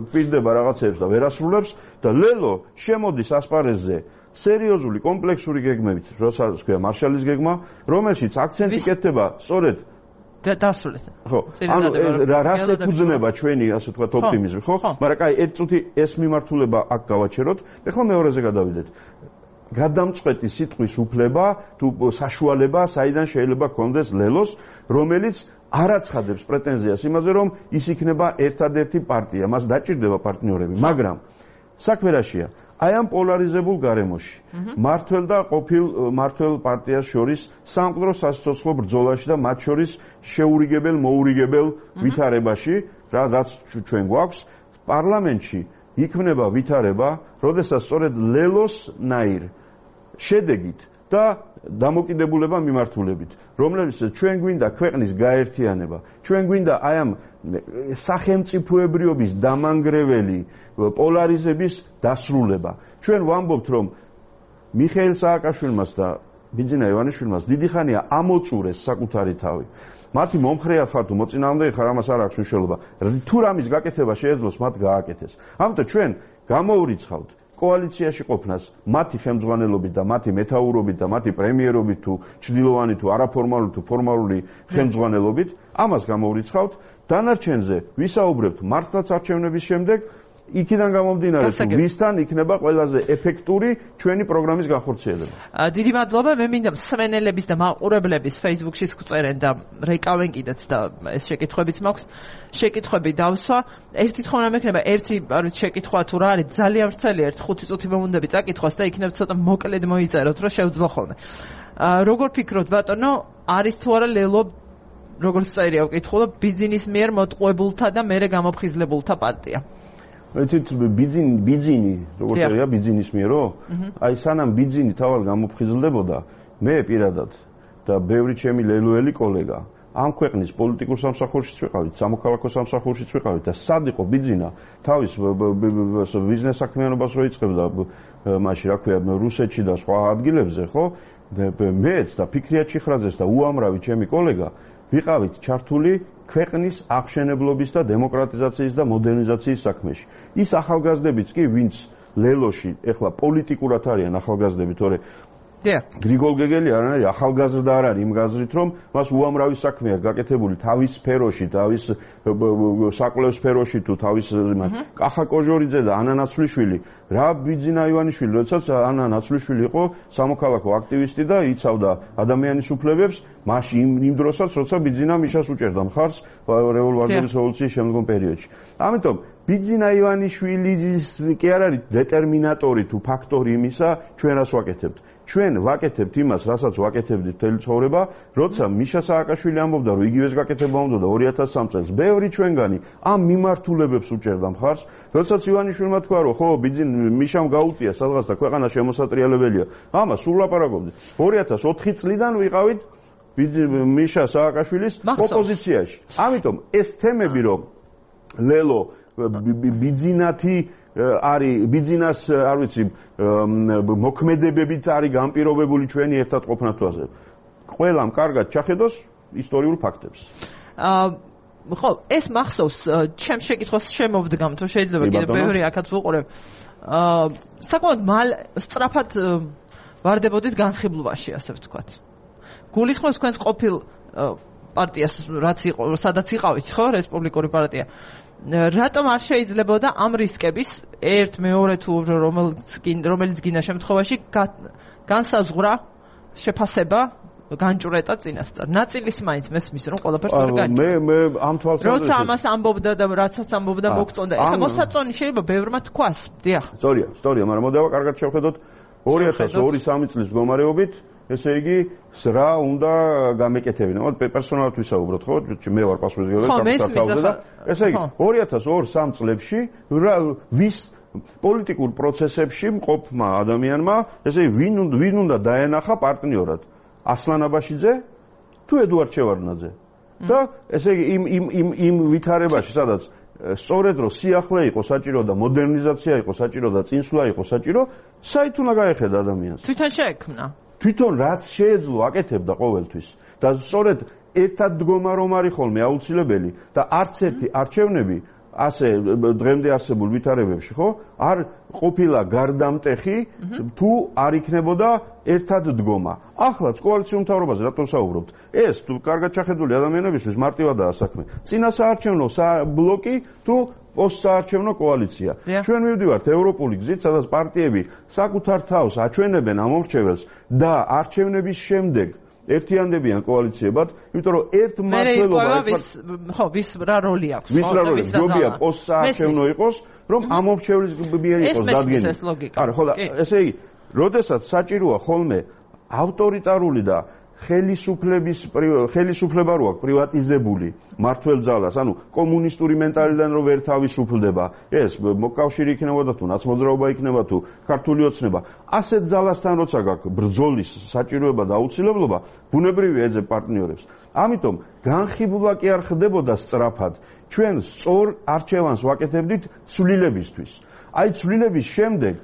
კვირდება რაღაცებს და ვერ ასრულებს და ლელო შემოდის ასპარეზზე სერიოზული კომპლექსური გეგმებით, როცა თქვია მარშალის გეგმა, რომელშიც აქცენტი კეთდება სწორედ დასრულეთ. ხო, ანუ რას ეფუძნება ჩვენი, ასე ვთქვათ, ოპტიმიზმი, ხო? მაგრამ კაი, ერთ წუთი ეს მიმართულება აქ გავაჩეროთ. ეხლა მეორეზე გადავიდეთ. გადამწყვეტი სიტყვის უფლება თუ საშუალება, საიდან შეიძლება გქონდეს ლელოს, რომელიც არ აცხადებს პრეტენზიას იმაზე, რომ ის იქნება ერთადერთი პარტია, მას დაჭირდება პარტნიორები, მაგრამ საქმე რაშია? აი ამ პოლარიზებულ გარემოში მართველ და ყოფილ მართველ პარტიას შორის სამყარო სასიცოცხლო ბრძოლაში და მათ შორის შეურიგებელ მოურიგებელ ვითარებაში, რაც ჩვენ გვაქვს პარლამენტში იქმნება ვითარება, როდესაც სწორედ ლელოს ნაირ შედეგით და დამოკიდებულება მიმართულებით, რომლებიც ჩვენ გვინდა ქვეყნის გაერთიანება, ჩვენ გვინდა აი ამ სახელმწიფოებრიობის დამანგრეველი პოლარიზების დასრულება. ჩვენ ვამბობთ, რომ მიხეილ სააკაშვილმას და ბიძინა ივანიშვილმას დიდი ხანია ამოწურეს საკუთარი თავი. მათი მომხრეა ხარ თუ მოწინააღმდეგე ხარ, ამას არ აქვს მნიშვნელობა. თუ რამის გაკეთება შეეძლოს, მათ გააკეთეს. ამიტომ ჩვენ გამოურიცხავთ კოალიციაში ყოფნას მათი ხელმძღვანელობით და მათი მეთაურობით და მათი პრემიერობით თუ ჩრდილოვანი თუ არაფორმალური თუ ფორმალური ხელმძღვანელობით, ამას გამოურიცხავთ. დანარჩენზე ვისაუბრებთ მართლაც არჩევნების შემდეგ, იქიდან გამომდინარე თუ ვისთან იქნება ყველაზე ეფექტური ჩვენი პროგრამის განხორციელება. დიდი მადლობა. მე მინდა მსმენელების და მაყურებლების Facebook-ში წერენ და რეკავენ კიდეც და ეს შეკითხვებიც მაქვს. შეკითხვები დავსვა. ერთი თქმა უნდა მექნება ერთი არის შეკითხვა თუ რა არის ძალიან ვრცელი ერთ ხუთი წუთი მომუნდები წაკითხვას და იქნებ ცოტა მოკლედ მოიწეროთ რომ შევძლო ხოლმე. როგორ ფიქრობთ ბატონო, არის თუ არა ლელო როგორც წერია ვკითხულობ ბიძინის მიერ მოტყუებულთა და მერე გამოფხიზლებულთა პარტია? ეცით ბიძინი ბიძინი როგორც წერია ბიძინის მიერო? აი სანამ ბიძინი თავად გამოფხიზლდებოდა, მე პირადად და ბევრი ჩემი ლელოელი კოლეგა ამ ქვეყნის პოლიტიკურ სამსახურშიც ვიყავით, სამოქალაქო სამსახურშიც ვიყავით და სად იყო ბიძინა თავის ბიზნეს საქმიანობას რო იწყებდა მაშინ რა ქვია რუსეთში და სხვა ადგილებზე, ხო? მეც და ფიქრია ჩიხრაძეს და უამრავი ჩემი კოლეგა ვიყავით ჩართული ქვეყნის აღშენებლობის და დემოკრატიზაციის და მოდერნიზაციის საქმეში. ის ახალგაზრდებიც კი, ვინც ლელოში ეხლა პოლიტიკურად არიან ახალგაზრდები, თორე გრიგოლ გეგელი არ არის ახალგაზრდა არ არის იმ გაზრით, რომ მას უამრავი საქმე აქვს გაკეთებული თავის სფეროში, თავის საკვლევ სფეროში თუ თავის კახა კოჟორიძე და ანა ნაცვლიშვილი, რა ბიძინა ივანიშვილი, როდესაც ანა ნაცვლიშვილი იყო სამოქალაქო აქტივისტი და იცავდა ადამიანის უფლებებს, მაშინ იმ დროსაც, როცა ბიძინა მიშას უჭერდა მხარს რევოლუციის რევოლუციის შემდგომ პერიოდში. ამიტომ ბიძინა ივანიშვილი კი არ არის დეტერმინატორი თუ ფაქტორი იმისა, ჩვენ რას ვაკეთებთ. ჩვენ ვაკეთებთ იმას, რასაც ვაკეთებდით მთელი ცხოვრება, როცა მიშა სააკაშვილი ამბობდა, რომ იგივეს გაკეთება უნდა ორი ათას სამი წელს. ბევრი ჩვენგანი ამ მიმართულებებს უჭერდა მხარს, როდესაც ივანიშვილმა თქვა, რომ ხო, ბიძინ მიშამ გაუტია სადღაც და ქვეყანა შემოსატრიალებელია. ამას სულ ლაპარაკობდით. ორი ათას ოთხი წლიდან ვიყავით მიშა სააკაშვილის ოპოზიციაში. ამიტომ ეს თემები, რომ ლელო ბიძინათი არის ბიძინას არ ვიცი მოქმედებებით არის განპირობებული ჩვენი ერთად ყოფნა თვაზე. ყველამ კარგად ჩახედოს ისტორიულ ფაქტებს. აა ხო, ეს მახსოვს ჩემ შეკითხვას შემოვდგამ, თუ შეიძლება კიდე ბევრი აქაც ვუყურებ. აა საკმაოდ მალ სწრაფად ვარდებოდით განხილვაში, ასე ვთქვათ. გულისხმობს თქვენს ყოფილ პარტიას, რაც იყო, სადაც იყავით, ხო, რესპუბლიკური პარტია. რატომ არ შეიძლებოდა ამ რისკების ერთ მეორე თუ რომელიც გინდა შემთხვევაში განსაზღვრა შეფასება განჭვრეტა წინასწარ. ნაწილის მაინც მესმის რომ ყველაფერს ვერ განჭვრეტა. მე მე ამ თვალსაზრისით როცა ამას ამბობდა და რაცაც ამბობდა მოგწონდა. ეხლა მოსაწონი შეიძლება ბევრმა თქვას. დიახ. სწორია, სწორია, მაგრამ მოდავა კარგად შევხედოთ ორი ათას ორი სამი წლის მდგომარეობით, ესე იგი რა უნდა გამეკეთებინა. მოდი პერსონალად ვისაუბროთ, ხო? მე ვარ პასუხისმგებელი საქართველოს და ესე იგი ორი ათას ორი სამი წლებში ვის პოლიტიკურ პროცესებში მყოფმა ადამიანმა, ესე იგი ვინ ვინ უნდა დაენახა პარტნიორად? ასლან აბაშიძე თუ ედუარდ შევარდნაძე? და ესე იგი იმ იმ იმ იმ ვითარებაში, სადაც სწორედ რომ სიახლე იყო საჭირო და მოდერნიზაცია იყო საჭირო და წინსვლა იყო საჭირო, საით უნდა გაეხედა ადამიანს? თვითონ შეექმნა. თვითონ რაც შეეძლო აკეთებდა ყოველთვის და სწორედ ერთად დგომა რომ არის ხოლმე აუცილებელი და არც ერთი არჩევნები ასე დღემდე არსებულ ვითარებებში, ხო, არ ყოფილა გარდამტეხი თუ არ იქნებოდა ერთად დგომა. ახლაც კოალიციურ მთავრობაზე რატომ საუბრობთ? ეს თუ კარგად ჩახედული ადამიანებისთვის მარტივადაა საქმე. წინასაარჩევნო ბლოკი თუ პოსტსაარჩევნო კოალიცია. ჩვენ მივდივართ ევროპული გზით, სადაც პარტიები საკუთარ თავს აჩვენებენ ამ მომრჩეველს და არჩევნების შემდეგ ერთიანდებიან კოალიციებად, იმიტომ რომ ერთ მმართველობა ხო, ვის რა როლი აქვს? ვის რა როლი? ჯობია პოსტსაარჩევნო იყოს, რომ ამ მომრჩევლის მიერ იყოს დადგენილი. არა, ხო და ესე იგი, როდესაც საჭიროა ხოლმე ავტორიტარული და ხელისუფლების ხელისუფლება რო აქვს პრივატიზებული მართლ ძალას, ანუ კომუნისტური მენტალიდან რო ვერ თავისუფლდება, ეს მოკავშირე იქნებოდა თუ ნაცმოძრაობა იქნება თუ ქართული ოცნება, ასეთ ძალასთან როცა გაქვს ბრძოლის საჭიროება და აუცილებლობა, ბუნებრივია ეძებ პარტნიორებს. ამიტომ განხილვა კი არ ხდებოდა სწრაფად. ჩვენ სწორ არჩევანს ვაკეთებდით ცვლილებისთვის. აი ცვლილების შემდეგ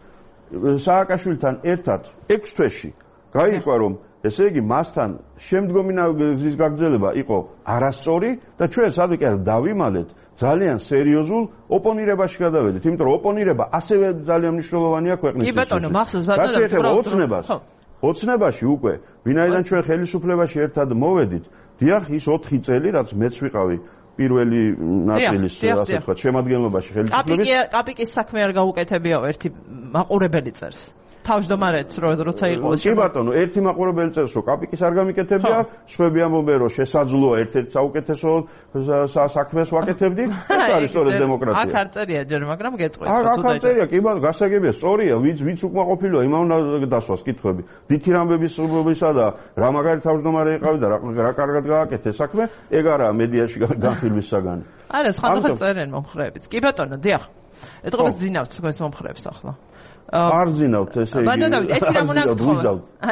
სააკაშვილთან ერთად ექვს თვეში გაიყვა რომ ესე იგი მასთან შემდგომი გზის გაგრძელება იყო არასწორი და ჩვენ სადვე კი არ დავიმალეთ ძალიან სერიოზულ ოპონირებაში გადავედით, იმიტომ რომ ოპონირება ასევე ძალიან მნიშვნელოვანია ქვეყნისთვის. კი ბატონო, მახსოვს ბატონო, რაც ეხება ოცნებას, ოცნებაში უკვე ვინაიდან ჩვენ ხელისუფლებაში ერთად მოვედით, დიახ, ის ოთხი წელი, რაც მეც ვიყავი პირველი ნაწილის ასე ვთქვათ შემადგენლობაში ხელისუფლების კაპიკის საქმე არ გაუკეთებიაო ერთი მაყურებელი წერს. თავმჯდომარეთ როცა იყო კი ბატონო, ერთი მაყურებელი წერს რომ კაპიკის არ გამიკეთებია, სხვები ამბობენ რომ შესაძლოა ერთ-ერთ საუკეთესო საქმეს ვაკეთებდი, ეს არის სწორედ დემოკრატია. აქ არ წერია ჯერ, მაგრამ გეტყვით რომ აქ არ წერია, კი ბატონო, გასაგებია, სწორია, ვინც ვინც უკმაყოფილოა, იმან უნდა დასვას კითხვები. დითი რამბებისა და რა მაგარი თავმჯდომარე იყავი და რა კარგად გააკეთე საქმე, ეგ არაა მედიაში განხილვის საგანი. არა, სხვადასხვა წერენ მომხრეებიც. კი ბატონო, დიახ. ეთყობას ძინავთ თქვენს მომხრეებს ახლა. არ ძინავთ ესე იგი. ბატონო, ერთი რამ უნდა გთხოვოთ.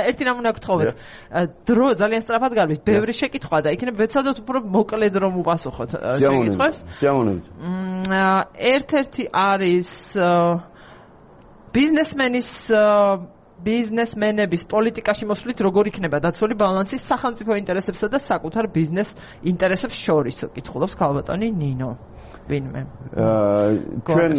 ერთი რამ უნდა გთხოვოთ. დრო ძალიან სწრაფად გარბის, ბევრი შეკითხვა და იქნებ ვეცადოთ უფრო მოკლედ რომ უპასუხოთ შეკითხვებს. სიამოვნებით. ერთ-ერთი არის ბიზნესმენის ბიზნესმენების პოლიტიკაში მოსვლით როგორ იქნება დაცული ბალანსი სახელმწიფო ინტერესებსა და საკუთარ ბიზნეს ინტერესებს შორის, კითხულობს ქალბატონი ნინო. ვინმე. ჩვენ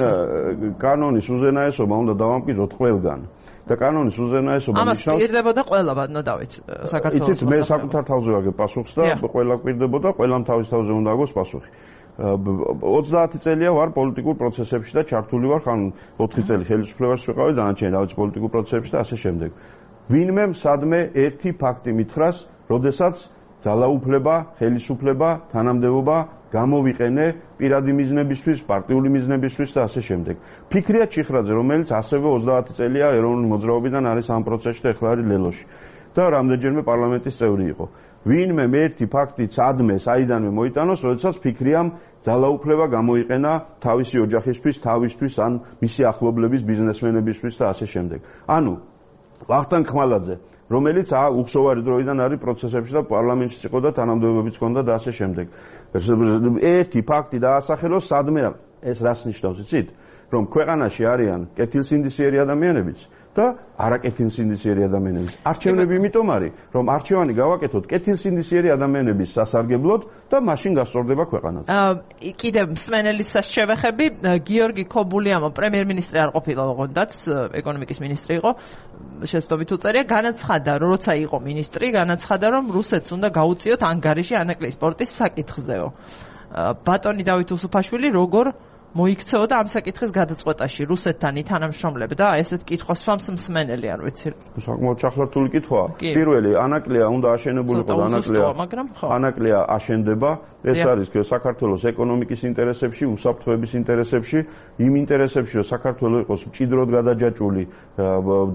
კანონის უზენაესობა უნდა დავამკვიდროთ ყველგან. და კანონის უზენაესობა ნიშნავს ამას პირდებოდა ყველა ბატონო დავით საქართველოს. იცით, მე საკუთარ თავზე ვაგებ პასუხს და ყველა პირდებოდა, ყველამ თავის თავზე უნდა აგოს პასუხი. ოცდაათი წელია ვარ პოლიტიკურ პროცესებში და ჩართული ვარ, ხან ოთხი წელი ხელისუფლებაში ვიყავი, დანარჩენი რაღაც პოლიტიკურ პროცესებში და ასე შემდეგ. ვინმე სადმე ერთი ფაქტი მითხრას, როდესაც ძალაუფლება, ხელისუფლება, თანამდებობა გამოვიყენე პირადი მიზნებისთვის, პარტიული მიზნებისთვის და ასე შემდეგ. ფიქრია ჩიხრაძე, რომელიც ასევე ოცდაათი წელია ეროვნული მოძრაობიდან არის ამ პროცესში და ახლა არის ლელოში. და რამდენჯერმე პარლამენტის წევრი იყო. ვინმე ერთი ფაქტი სადმე საიდანვე მოიტანოს, როდესაც ფიქრიამ ძალაუფლება გამოიყენა თავისი ოჯახისთვის, თავისთვის ან მისი ახლობლების ბიზნესმენებისთვის და ასე შემდეგ. ანუ ვახტანგ ხმალაძე, რომელიც უხსოვარი დროიდან არის პროცესებში და პარლამენტში იყო და თანამდებობებიც ჰქონდა და ასე შემდეგ. ერთი ფაქტი დაასახელოს სადმე ეს რას ნიშნავს, იცით? რომ ქვეყანაში არიან კეთილსინდისიერი ადამიანებიც და არაკეთილსინდისიერი ადამიანებიც. არჩევნები იმიტომ არის, რომ არჩევანი გავაკეთოთ კეთილსინდისიერი ადამიანების სასარგებლოდ და მაშინ გასწორდება ქვეყანაც. კიდევ მსმენელისას შევეხები, გიორგი ქობულიამო პრემიერ-მინისტრი არ ყოფილა ოღონდაც, ეკონომიკის მინისტრი იყო, შეცდომით უწერია, განაცხადა, როცა იყო მინისტრი, განაცხადა, რომ რუსეთს უნდა გაუწიოთ ანგარიში ანაკლის პორტის საკითხზეო. ბატონი დავით უსუფაშვილი როგორ მოიქცეოდა ამ საკითხის გადაწყვეტაში რუსეთთან ითანამშრომლებდა ესეთ კითხვას სვამს მსმენელი არ ვიცი. საკმაოდ ჩახლართული კითხვაა. პირველი ანაკლია უნდა აშენებულიყო და ანაკლია ანაკლია აშენდება. ეს არის საქართველოს ეკონომიკის ინტერესებში, უსაფრთხოების ინტერესებში, იმ ინტერესებში, რომ საქართველოს იყოს მჭიდროდ გადაჯაჭვული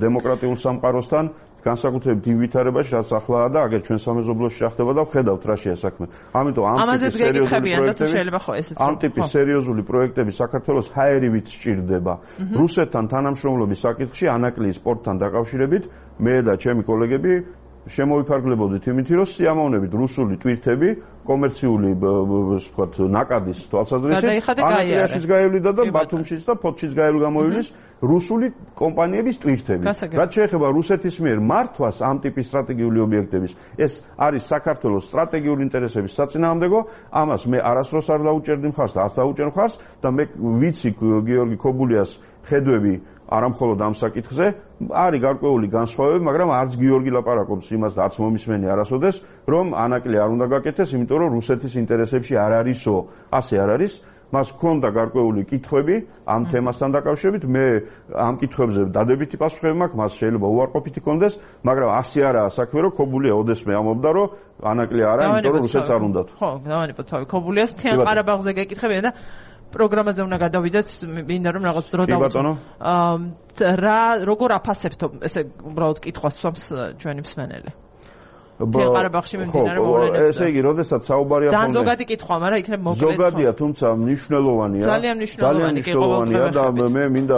დემოკრატიულ სამყაროსთან. განსაკუთრებით იმ ვითარებაში, რაც ახლაა და აგერ ჩვენ სამეზობლოში ხდება და ვხედავთ რა შეა საქმე. ამიტომ ამ ტიპის სერიოზული პროექტები, ამ ტიპის სერიოზული პროექტები საქართველოს ჰაერივით სჭირდება. რუსეთთან თანამშრომლობის საკითხში ანაკლიის პორტთან დაკავშირებით მე და ჩემი კოლეგები შემოვიფარგლებოდით იმითი, რომ სიამოვნებით რუსული ტვირთები კომერციული ვთქვათ ნაკადის თვალსაზრისით ანაკლიაში გაივლიდა და ბათუმშიც და ფოთშიც გამოვივლის რუსული კომპანიების ტვირთები. რაც შეეხება რუსეთის მიერ მართვას ამ ტიპის სტრატეგიული ობიექტების, ეს არის საქართველოს სტრატეგიული ინტერესების საწინააღმდეგო, ამას მე არასდროს არ დაუჭერდი მხარს და არ დაუჭერ მხარს და მე ვიცი გიორგი ქობულიას ხედვები არა მხოლოდ ამ საკითხზე, არის გარკვეული განსხვავებები, მაგრამ არც გიორგი ლაპარაკობს იმას და არც მომისმენი არასოდეს, რომ ანაკლი არ უნდა გაკეთდეს, იმიტომ რომ რუსეთის ინტერესებში არ არისო, ასე არ არის. მას ჰქონდა გარკვეული კითხვები ამ თემასთან დაკავშირებით, მე ამ კითხვებზე დადებითი პასუხები მაქვს, მას შეიძლება უარყოფითი კონდეს, მაგრამ ასე არაა საქმე, რომ ქობულია ოდესმე ამბობდა, რომ ანაკლი არა, იმიტომ რომ რუსეთს არ უნდათ. ხო, დავანებოთ თავი ქობულიას მთიან ყარაბაღზე გეკითხებიან და პროგრამაზე უნდა გადავიდეთ, მინდა რომ რაღაც დრო დავუწყო. რა როგორ აფასებთ ესე უბრალოდ კითხვას სვამს ჩვენი მსმენელი? ղարաբաղში მიმდინარე მოვლენებზე. ესე იგი, როდესაც საუბარია ხოლმე ძალიან ზოგადი კითხვა, მაგრამ იქნებ მოკლედ. ზოგადია, თუმცა მნიშვნელოვანია. ძალიან მნიშვნელოვანი კი მნიშვნელოვანია და მე მინდა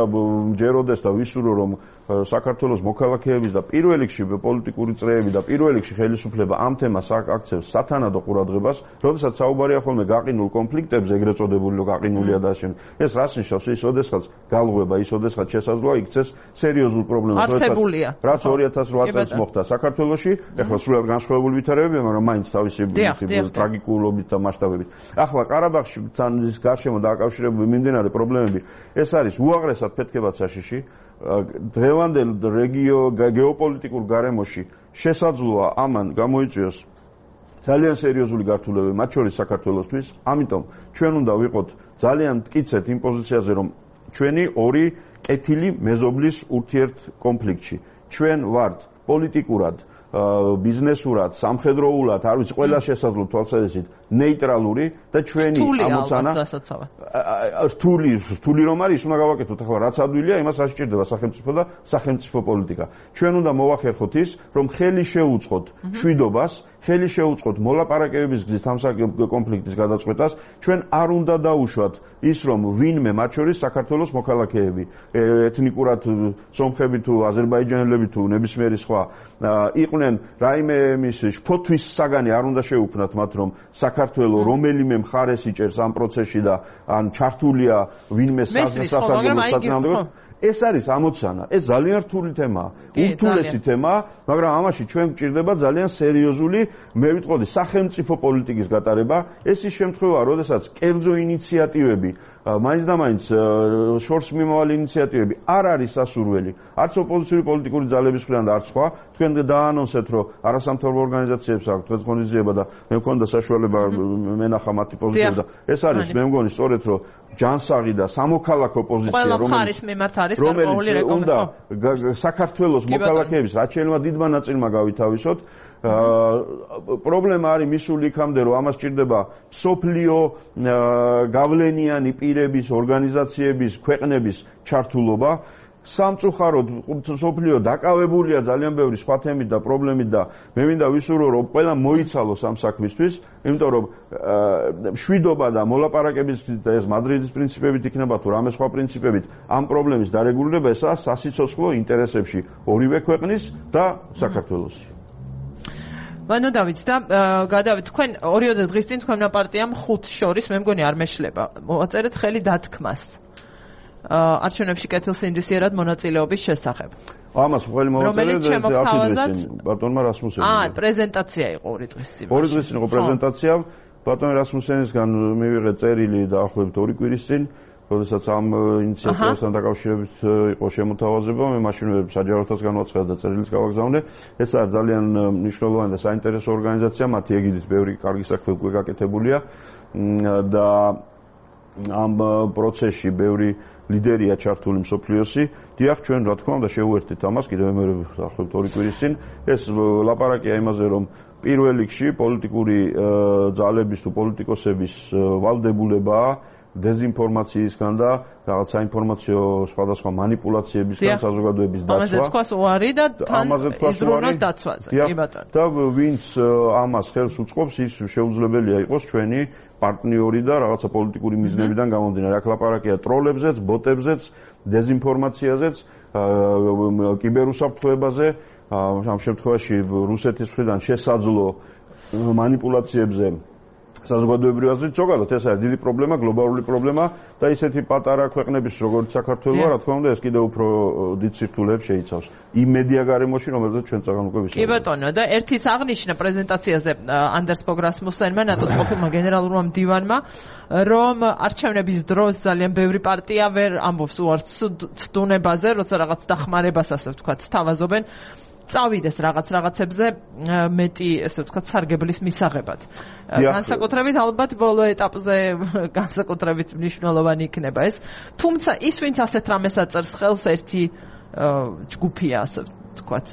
ჯეროდეს და ვისურვო, რომ საქართველოს მოქალაქეების და პირველ რიგში პოლიტიკური წრეები და პირველ რიგში ხელისუფლება ამ თემას აქცევს სათანადო ყურადღებას, როდესაც საუბარია ხოლმე გაყინულ კონფლიქტებზე, ეგრეთ წოდებული გაყინულია და შენ. ეს რას ნიშნავს? ის ოდესღაც გალღვება, ის ოდესღაც შესაძლოა იქცეს სერიოზულ პრობლემას, რაც ორი ათას რვა წელს მოხდა საქართველოში, ეხლა სრულად განსხვავებული ვითარებებია, მაგრამ მაინც თავისი ტრაგიკულობით და მასშტაბებით. ახლა ყარაბაღში თან ის გარშემო დაკავშირებული მიმდინარე პრობლემები, ეს არის უაღრესად ფეთქებად საშიში. დღევანდელ რეგიო გეოპოლიტიკურ გარემოში შესაძლოა ამან გამოიწვიოს ძალიან სერიოზული გართულებები, მათ შორის საქართველოსთვის. ამიტომ ჩვენ უნდა ვიყოთ ძალიან მტკიცედ იმ პოზიციაზე, რომ ჩვენი ორი კეთილი მეზობლის ურთიერთ კონფლიქტში. ჩვენ ვართ პოლიტიკურად, ბიზნესურად, სამხედროულად, არ ვიცი, ყველა შესაძლო თვალსაზრისით ნეიტრალური და ჩვენი ამოცანა რთული, რთული რომ არის, უნდა გავაკეთოთ ახლა რაც ადვილია, იმას არ სჭირდება სახელმწიფო და სახელმწიფო პოლიტიკა. ჩვენ უნდა მოვახერხოთ ის, რომ ხელი შეუწყოთ მშვიდობას, ხელი შეუწყოთ მოლაპარაკებების გზით ამ კონფლიქტის გადაწყვეტას. ჩვენ არ უნდა დაუშვათ ის, რომ ვინმე მათ შორის საქართველოს მოქალაქეები, ეთნიკურად სომხები თუ აზერბაიჯანელები თუ ნებისმიერი სხვა იყვნენ რაიმე მის შფოთვის საგანი არ უნდა შეუქმნათ მათ, რომ საქართველო რომელიმე მხარეს იჭერს ამ პროცესში და ან ჩართულია ვინმე სასაგებო. ეს არის ამოცანა. ეს ძალიან რთული თემაა, ურთულესი თემაა, მაგრამ ამაში ჩვენ გვჭირდება ძალიან სერიოზული, მე ვიტყოდი, სახელმწიფო პოლიტიკის გატარება. ეს ის შემთხვევაა, როდესაც კერძო ინიციატივები, მაინც და მაინც შორს მიმავალი ინიციატივები არ არის სასურველი, არც ოპოზიციური პოლიტიკური ძალების მხრიდან და არც სხვა. თქვენ დაანონსეთ, რომ არასამთავრობო ორგანიზაციებს აქვს თქვენს ღონისძიება და მე მქონდა საშუალება მენახა მათი პოზიციები და ეს არის მე მგონი სწორედ, რომ ჯანსაღი და სამოქალაქო პოზიცია, რომელიც რომელიც უნდა საქართველოს მოქალაქეების რაც შეიძლება დიდმა ნაწილმა გავითავისოთ. პრობლემა არის მისული იქამდე, რომ ამას სჭირდება სოფლიო გავლენიანი პირების, ორგანიზაციების, ქვეყნების ჩართულობა. სამწუხაროდ სოფლიო დაკავებულია ძალიან ბევრი სხვა თემით და პრობლემით და მე მინდა ვისურვო, რომ ყველა მოიცალოს ამ საქმისთვის, იმიტომ რომ მშვიდობა და მოლაპარაკების და ეს მადრიდის პრინციპებით იქნება თუ რამე სხვა პრინციპებით ამ პრობლემის დარეგულირება, ესაა სასიცოცხლო ინტერესებში ორივე ქვეყნის და საქართველოს. მანო დავით და გადავით თქვენ ორიოდე დღის წინ თქვენმა პარტიამ ხუთს შორის მე მგონი არ მეშლება მოაწერეთ ხელი დათქმას არჩევნებში კეთილსინდისიერად მონაწილეობის შესახებ. ამას ხელი მოვაწერეთ ბატონმა რასმუსენმა. აა პრეზენტაცია იყო ორი დღის წინ. ორი დღის წინ იყო პრეზენტაცია. ბატონ რასმუსენისგან მივიღეთ წერილი დაახლოებით ორი კვირის წინ. როდესაც ამ ინიციატივასთან დაკავშირებით იყო შემოთავაზება, მე მაშინვე საჯაროთას განვაცხადა და წერილიც გავაგზავნე. ეს არის ძალიან მნიშვნელოვანი და საინტერესო ორგანიზაცია, მათი ეგიდით ბევრი კარგი საქმე უკვე გაკეთებულია და ამ პროცესში ბევრი ლიდერია ჩართული მსოფლიოსი. დიახ, ჩვენ რა თქმა უნდა შევუერთდით ამას კიდევ მე დაახლოებით ორი კვირის წინ. ეს ლაპარაკია იმაზე, რომ პირველ რიგში პოლიტიკური ძალების თუ პოლიტიკოსების ვალდებულებაა დეზინფორმაციისგან და რაღაც საინფორმაციო სხვადასხვა манипуляციებისგან საზოგადოების დაცვა. ამაზე თქვას უარი და თან იზრუნოს დაცვაზე. კი ბატონო. და ვინც ამას ხელს უწყობს, ის შეუძლებელია იყოს ჩვენი პარტნიორი და რაღაცა პოლიტიკური მიზნებიდან გამომდინარე. აქ ლაპარაკია ტროლებზეც, ბოტებზეც, დეზინფორმაციაზეც, კიბერუსაფრთხოებაზე, ამ შემთხვევაში რუსეთის მხრიდან შესაძლო манипуляციებზე საზოგადოებრივ აზრით ზოგადად ეს არის დიდი პრობლემა, გლობალური პრობლემა და ისეთი პატარა ქვეყნების როგორც საქართველო, რა თქმა უნდა, ეს კიდევ უფრო დიდ სირთულეებს შეიცავს. იმ მედია გარემოში, რომელზეც ჩვენ წაგან უკვე ვისაუბრეთ. კი ბატონო, და ერთის აღნიშნა პრეზენტაციაზე ანდერს ფოგ რასმუსენმა, ნატოს ყოფილმა გენერალურმა მდივანმა, რომ არჩევნების დროს ძალიან ბევრი პარტია ვერ ამბობს უარს ცდუნებაზე, როცა რაღაც დახმარებას, ასე ვთქვათ, სთავაზობენ. წავიდეს რაღაც რაღაცებზე მეტი, ესე ვთქვათ, სარგებლის მისაღებად. განსაკუთრებით ალბათ ბოლო ეტაპზე განსაკუთრებით მნიშვნელოვანი იქნება ეს. თუმცა ის, ვინც ასეთ რამეს აწერს ხელს, ერთი ჯგუფია, ასე ვთქვათ,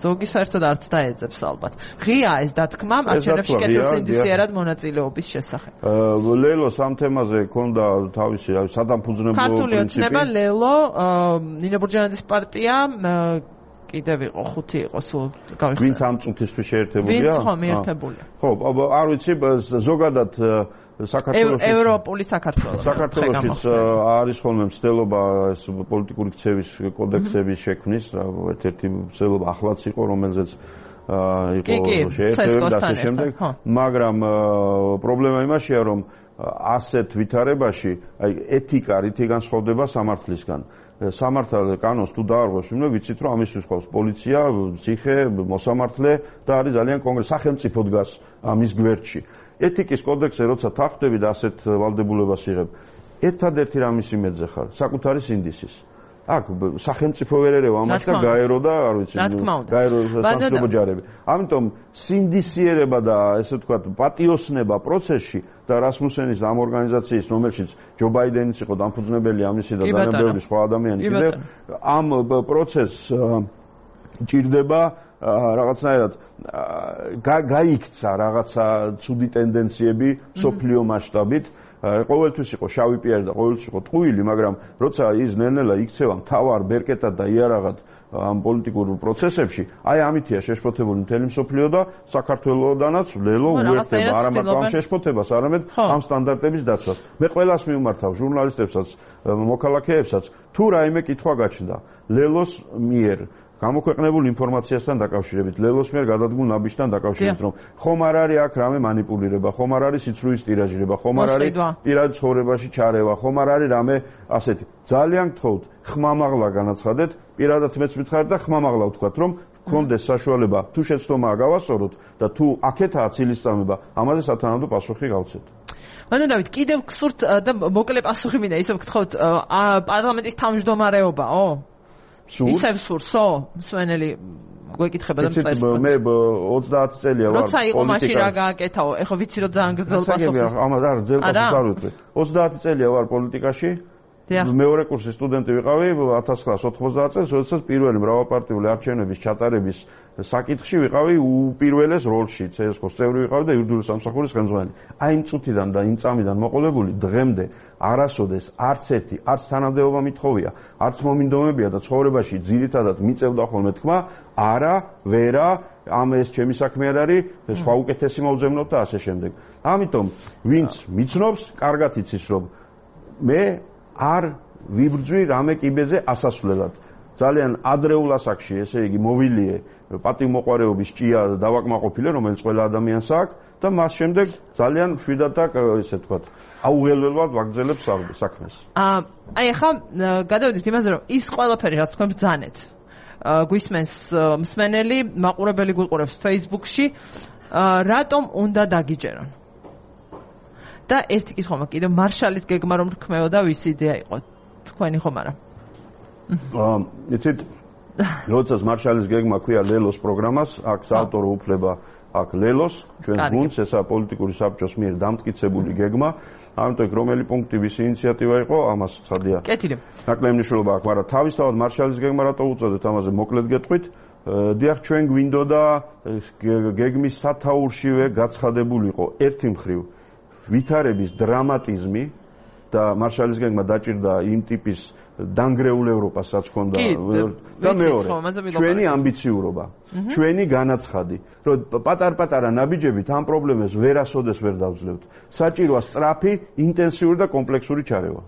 ზოგი საერთოდ არც დაეძებს ალბათ. ღია ეს დათქმა არჩევნებში კეთილსინდისიერად მონაწილეობის შესახებ. ლელოს ამ თემაზე ქონდა თავისი სადამფუძნებლო პრინციპი. ქართული ოცნება ლელო, ნინო ბურჯანაძის პარტია კიდევ იყო ხუთი იყო სულ გავიხსენე. ვინც ამ წუთისთვის შეერთებულია? ვინც ხომ ერთებულია. ხო, არ ვიცი, ზოგადად საქართველოში ევროპული საქართველოს საქართველოშიც არის ხოლმე მცდელობა ეს პოლიტიკური ქცევის კოდექსების შექმნის, ერთ-ერთი მცდელობა ახლაც იყო, რომელზეც იყო შეერთებული და ასე შემდეგ, მაგრამ პრობლემა იმაშია, რომ ასეთ ვითარებაში აი ეთიკა რითი განსხვავდება სამართლისგან. სამართალ კანონს თუ დაარღვევს, ვინმე ვიცით რომ ამისთვის ყავს პოლიცია, ციხე, მოსამართლე და არის ძალიან კონკრეტი სახელმწიფო დგას ამის გვერდში. ეთიკის კოდექსზე როცა თანხმდები და ასეთ ვალდებულებას იღებ, ერთადერთი რამის იმედზე ხარ, საკუთარი სინდისის. აქ სახელმწიფო ვერ ერევა ამას და გაერო და არ ვიცი, გაერო სამშვიდობო ჯარები. ამიტომ სინდისიერება და ესე ვთქვათ, პატიოსნება პროცესში და რასმუსენის ამ ორგანიზაციის, რომელშიც ჯო ბაიდენიც იყო დამფუძნებელი ამისი და ძალიან ბევრი სხვა ადამიანი კიდევ ამ პროცესს ჭირდება რაღაცნაირად გაიქცა რაღაცა ცუდი ტენდენციები სოფლიო მასშტაბით. ყოველთვის იყო შავი პიარი და ყოველთვის იყო ტყუილი, მაგრამ როცა ის ნელ-ნელა იქცევა მთავარ ბერკეტად და იარაღად ამ პოლიტიკურ პროცესებში, აი ამითია შეშფოთებული მთელი მსოფლიო და საქართველოდანაც ლელო უერთდება არა მარტო ამ შეშფოთებას, არამედ ამ სტანდარტების დაცვას. მე ყველას მიმართავ, ჟურნალისტებსაც, მოქალაქეებსაც, თუ რაიმე კითხვა გაჩნდა ლელოს მიერ გამოქვეყნებულ ინფორმაციასთან დაკავშირებით, ლელოს მიერ გადადგმულ ნაბიჯთან დაკავშირებით, რომ ხომ არ არის აქ რამე манипуლირება, ხომ არ არის სიცრუის ტირაჟირება, ხომ არ არის პირად ცხოვრებაში ჩარევა, ხომ არ არის რამე ასეთი. ძალიან გთხოვთ, ხმამაღლა განაცხადეთ, პირადად მეც მითხარით და ხმამაღლა ვთქვათ, რომ გქონდეს საშუალება თუ შეცდომაა გავასწოროთ და თუ აქეთაა ცილისწამება, ამაზე სათანადო პასუხი გავცეთ. ანუ დავით, კიდევ გსურთ და მოკლე პასუხი მინდა, ისე ვგთხოვთ, პარლამენტის თავმჯდომარეობაო? ისევ სურსო, მსვენელი გვეკითხება და მწერს. მე ოცდაათი წელია ვარ. როცა იყო მაშინ რა გააკეთაო? ეხლა ვიცი რომ ძალიან გრძელ პასუხი. ამას არ გრძელ პასუხს არ ვიტყვი. ოცდაათი წელია ვარ პოლიტიკაში. მეორე კურსის სტუდენტი ვიყავი ათას ცხრაასი ოცდაათ წელს, როდესაც პირველი მრავალპარტიული არჩევნების ჩატარების საკითხში ვიყავი უპირველეს როლში, ცესკოს წევრი ვიყავი და იურიდიული სამსახურის ხელმძღვანელი. აი იმ წუთიდან და იმ წამიდან მოყოლებული დღემდე არასოდეს არც ერთი, არც თანამდებობა მithოვია, არც მომინდომებია და ცხოვრებაში ძირითადად მიწევდა ხოლმე თქმა, არა, ვერა, ამ ეს ჩემი საქმე არ არის, სხვა უკეთესი მოვძებნოთ და ასე შემდეგ. ამიტომ ვინც მიცნობს, კარგად იცის რომ მე არ ვიბრძვი რამე კიბეზე ასასვლელად. ძალიან ადრეულ ასაკში, ესე იგი, მოვილიე პატივმოყვარეობის ჭია დავაკმაყოფილე, რომელიც ყველა ადამიანს აქვს და მას შემდეგ ძალიან მშვიდად და ესე ვთქვათ, აუღელველად ვაგრძელებ საქმეს. აი ახლა გადავიდეთ იმაზე, რომ ის ყველაფერი რაც თქვენ ბრძანეთ, გვისმენს მსმენელი, მაყურებელი გვიყურებს Facebook-ში, რატომ უნდა დაგიჯერონ? და ერთი კითხვა მაქვს კიდევ მარშალის გეგმა რომ რქმეოდა ვის იდეა იყო თქვენი ხომ არა? აა იცით როდესაც მარშალის გეგმა ქვია ლელოს პროგრამას, აქ საავტორო უფლება აქ ლელოს, ჩვენ გუნდს, ესა პოლიტიკური საბჭოს მიერ დამტკიცებული გეგმა, ამიტომ რომელი პუნქტი ვის ინიციატივა იყო, ამას ხადია. კეთილი. ნაკლები მნიშვნელობა აქვს, მაგრამ თავისთავად მარშალის გეგმა რატო უწოდეთ, ამაზე მოკლედ გეტყვით. დიახ, ჩვენ გვინდოდა გეგმის სათაურშივე გაცხადებულიყო ერთი მხრივ ვითარების დრამატიზმი და მარშალის გეგმა დაჭირდა იმ ტიპის დანგრეულ ევროპას, რაც ჰქონდა და მეორე ჩვენი ამბიციურობა, ჩვენი განაცხადი, რომ პატარ-პატარა ნაბიჯებით ამ პრობლემას ვერასოდეს ვერ დავძლევთ. საჭიროა სწრაფი, ინტენსიური და კომპლექსური ჩარევა.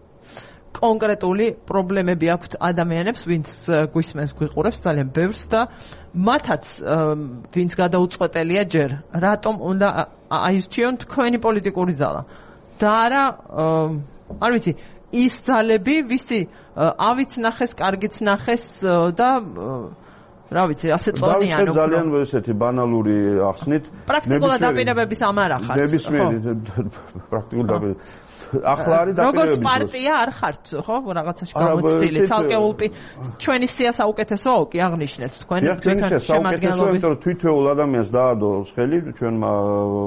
კონკრეტული პრობლემები აქვთ ადამიანებს, ვინც გვისმენს, გვიყურებს ძალიან ბევრს და მათაც ვინც გადაუწყვეტელია ჯერ, რატომ უნდა აირჩიონ თქვენი პოლიტიკური ძალა და არა არ ვიცი ის ძალები, ვისი ავიც ნახეს, კარგიც ნახეს და რა ვიცი, ასე წონიანი უფრო. ძალიან ესეთი ბანალური ახსნით. პრაქტიკულად დაპირებების ამ არ ახართ. ნებისმიერი პრაქტიკულად დაპირება. ახლა არის დაპირებების. როგორც პარტია არ ხართ, ხო? რაღაცაში გამოცდილი, ცალკეულ ჩვენი სია საუკეთესო კი აღნიშნეთ თქვენ თქვენ შემადგენლობის. თვითეულ ადამიანს დაადო ხელი ჩვენმა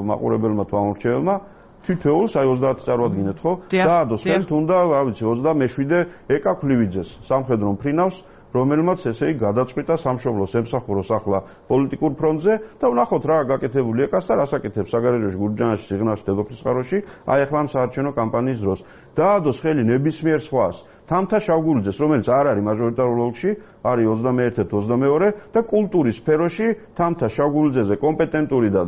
მაყურებელმა თუ ამორჩეველმა. თითოეულს აი ოცდაათი წარვადგინეთ, ხო? დაადოს ხელი თუნდა, რა ვიცი, ოცდამეშვიდე ეკა ქლივიძეს, სამხედრო მფრინავს, რომელმაც ესე იგი გადაწყვიტა სამშობლოს ემსახუროს ახლა პოლიტიკურ ფრონტზე და ვნახოთ რა გაკეთებული ეკას და რას აკეთებს საგარეჯოში, გურჯაანში, სიღნაღში, დედოფლის წყაროში, აი ახლა ამ საარჩევნო კამპანიის დროს. დაადოს ხელი ნებისმიერ სხვას თამთა შავგულიძეს, რომელიც არ არის მაჟორიტარულ ოლქში, არის ოცდამეერთე ოცდამეორე და კულტურის სფეროში თამთა შავგულიძეზე კომპეტენტური და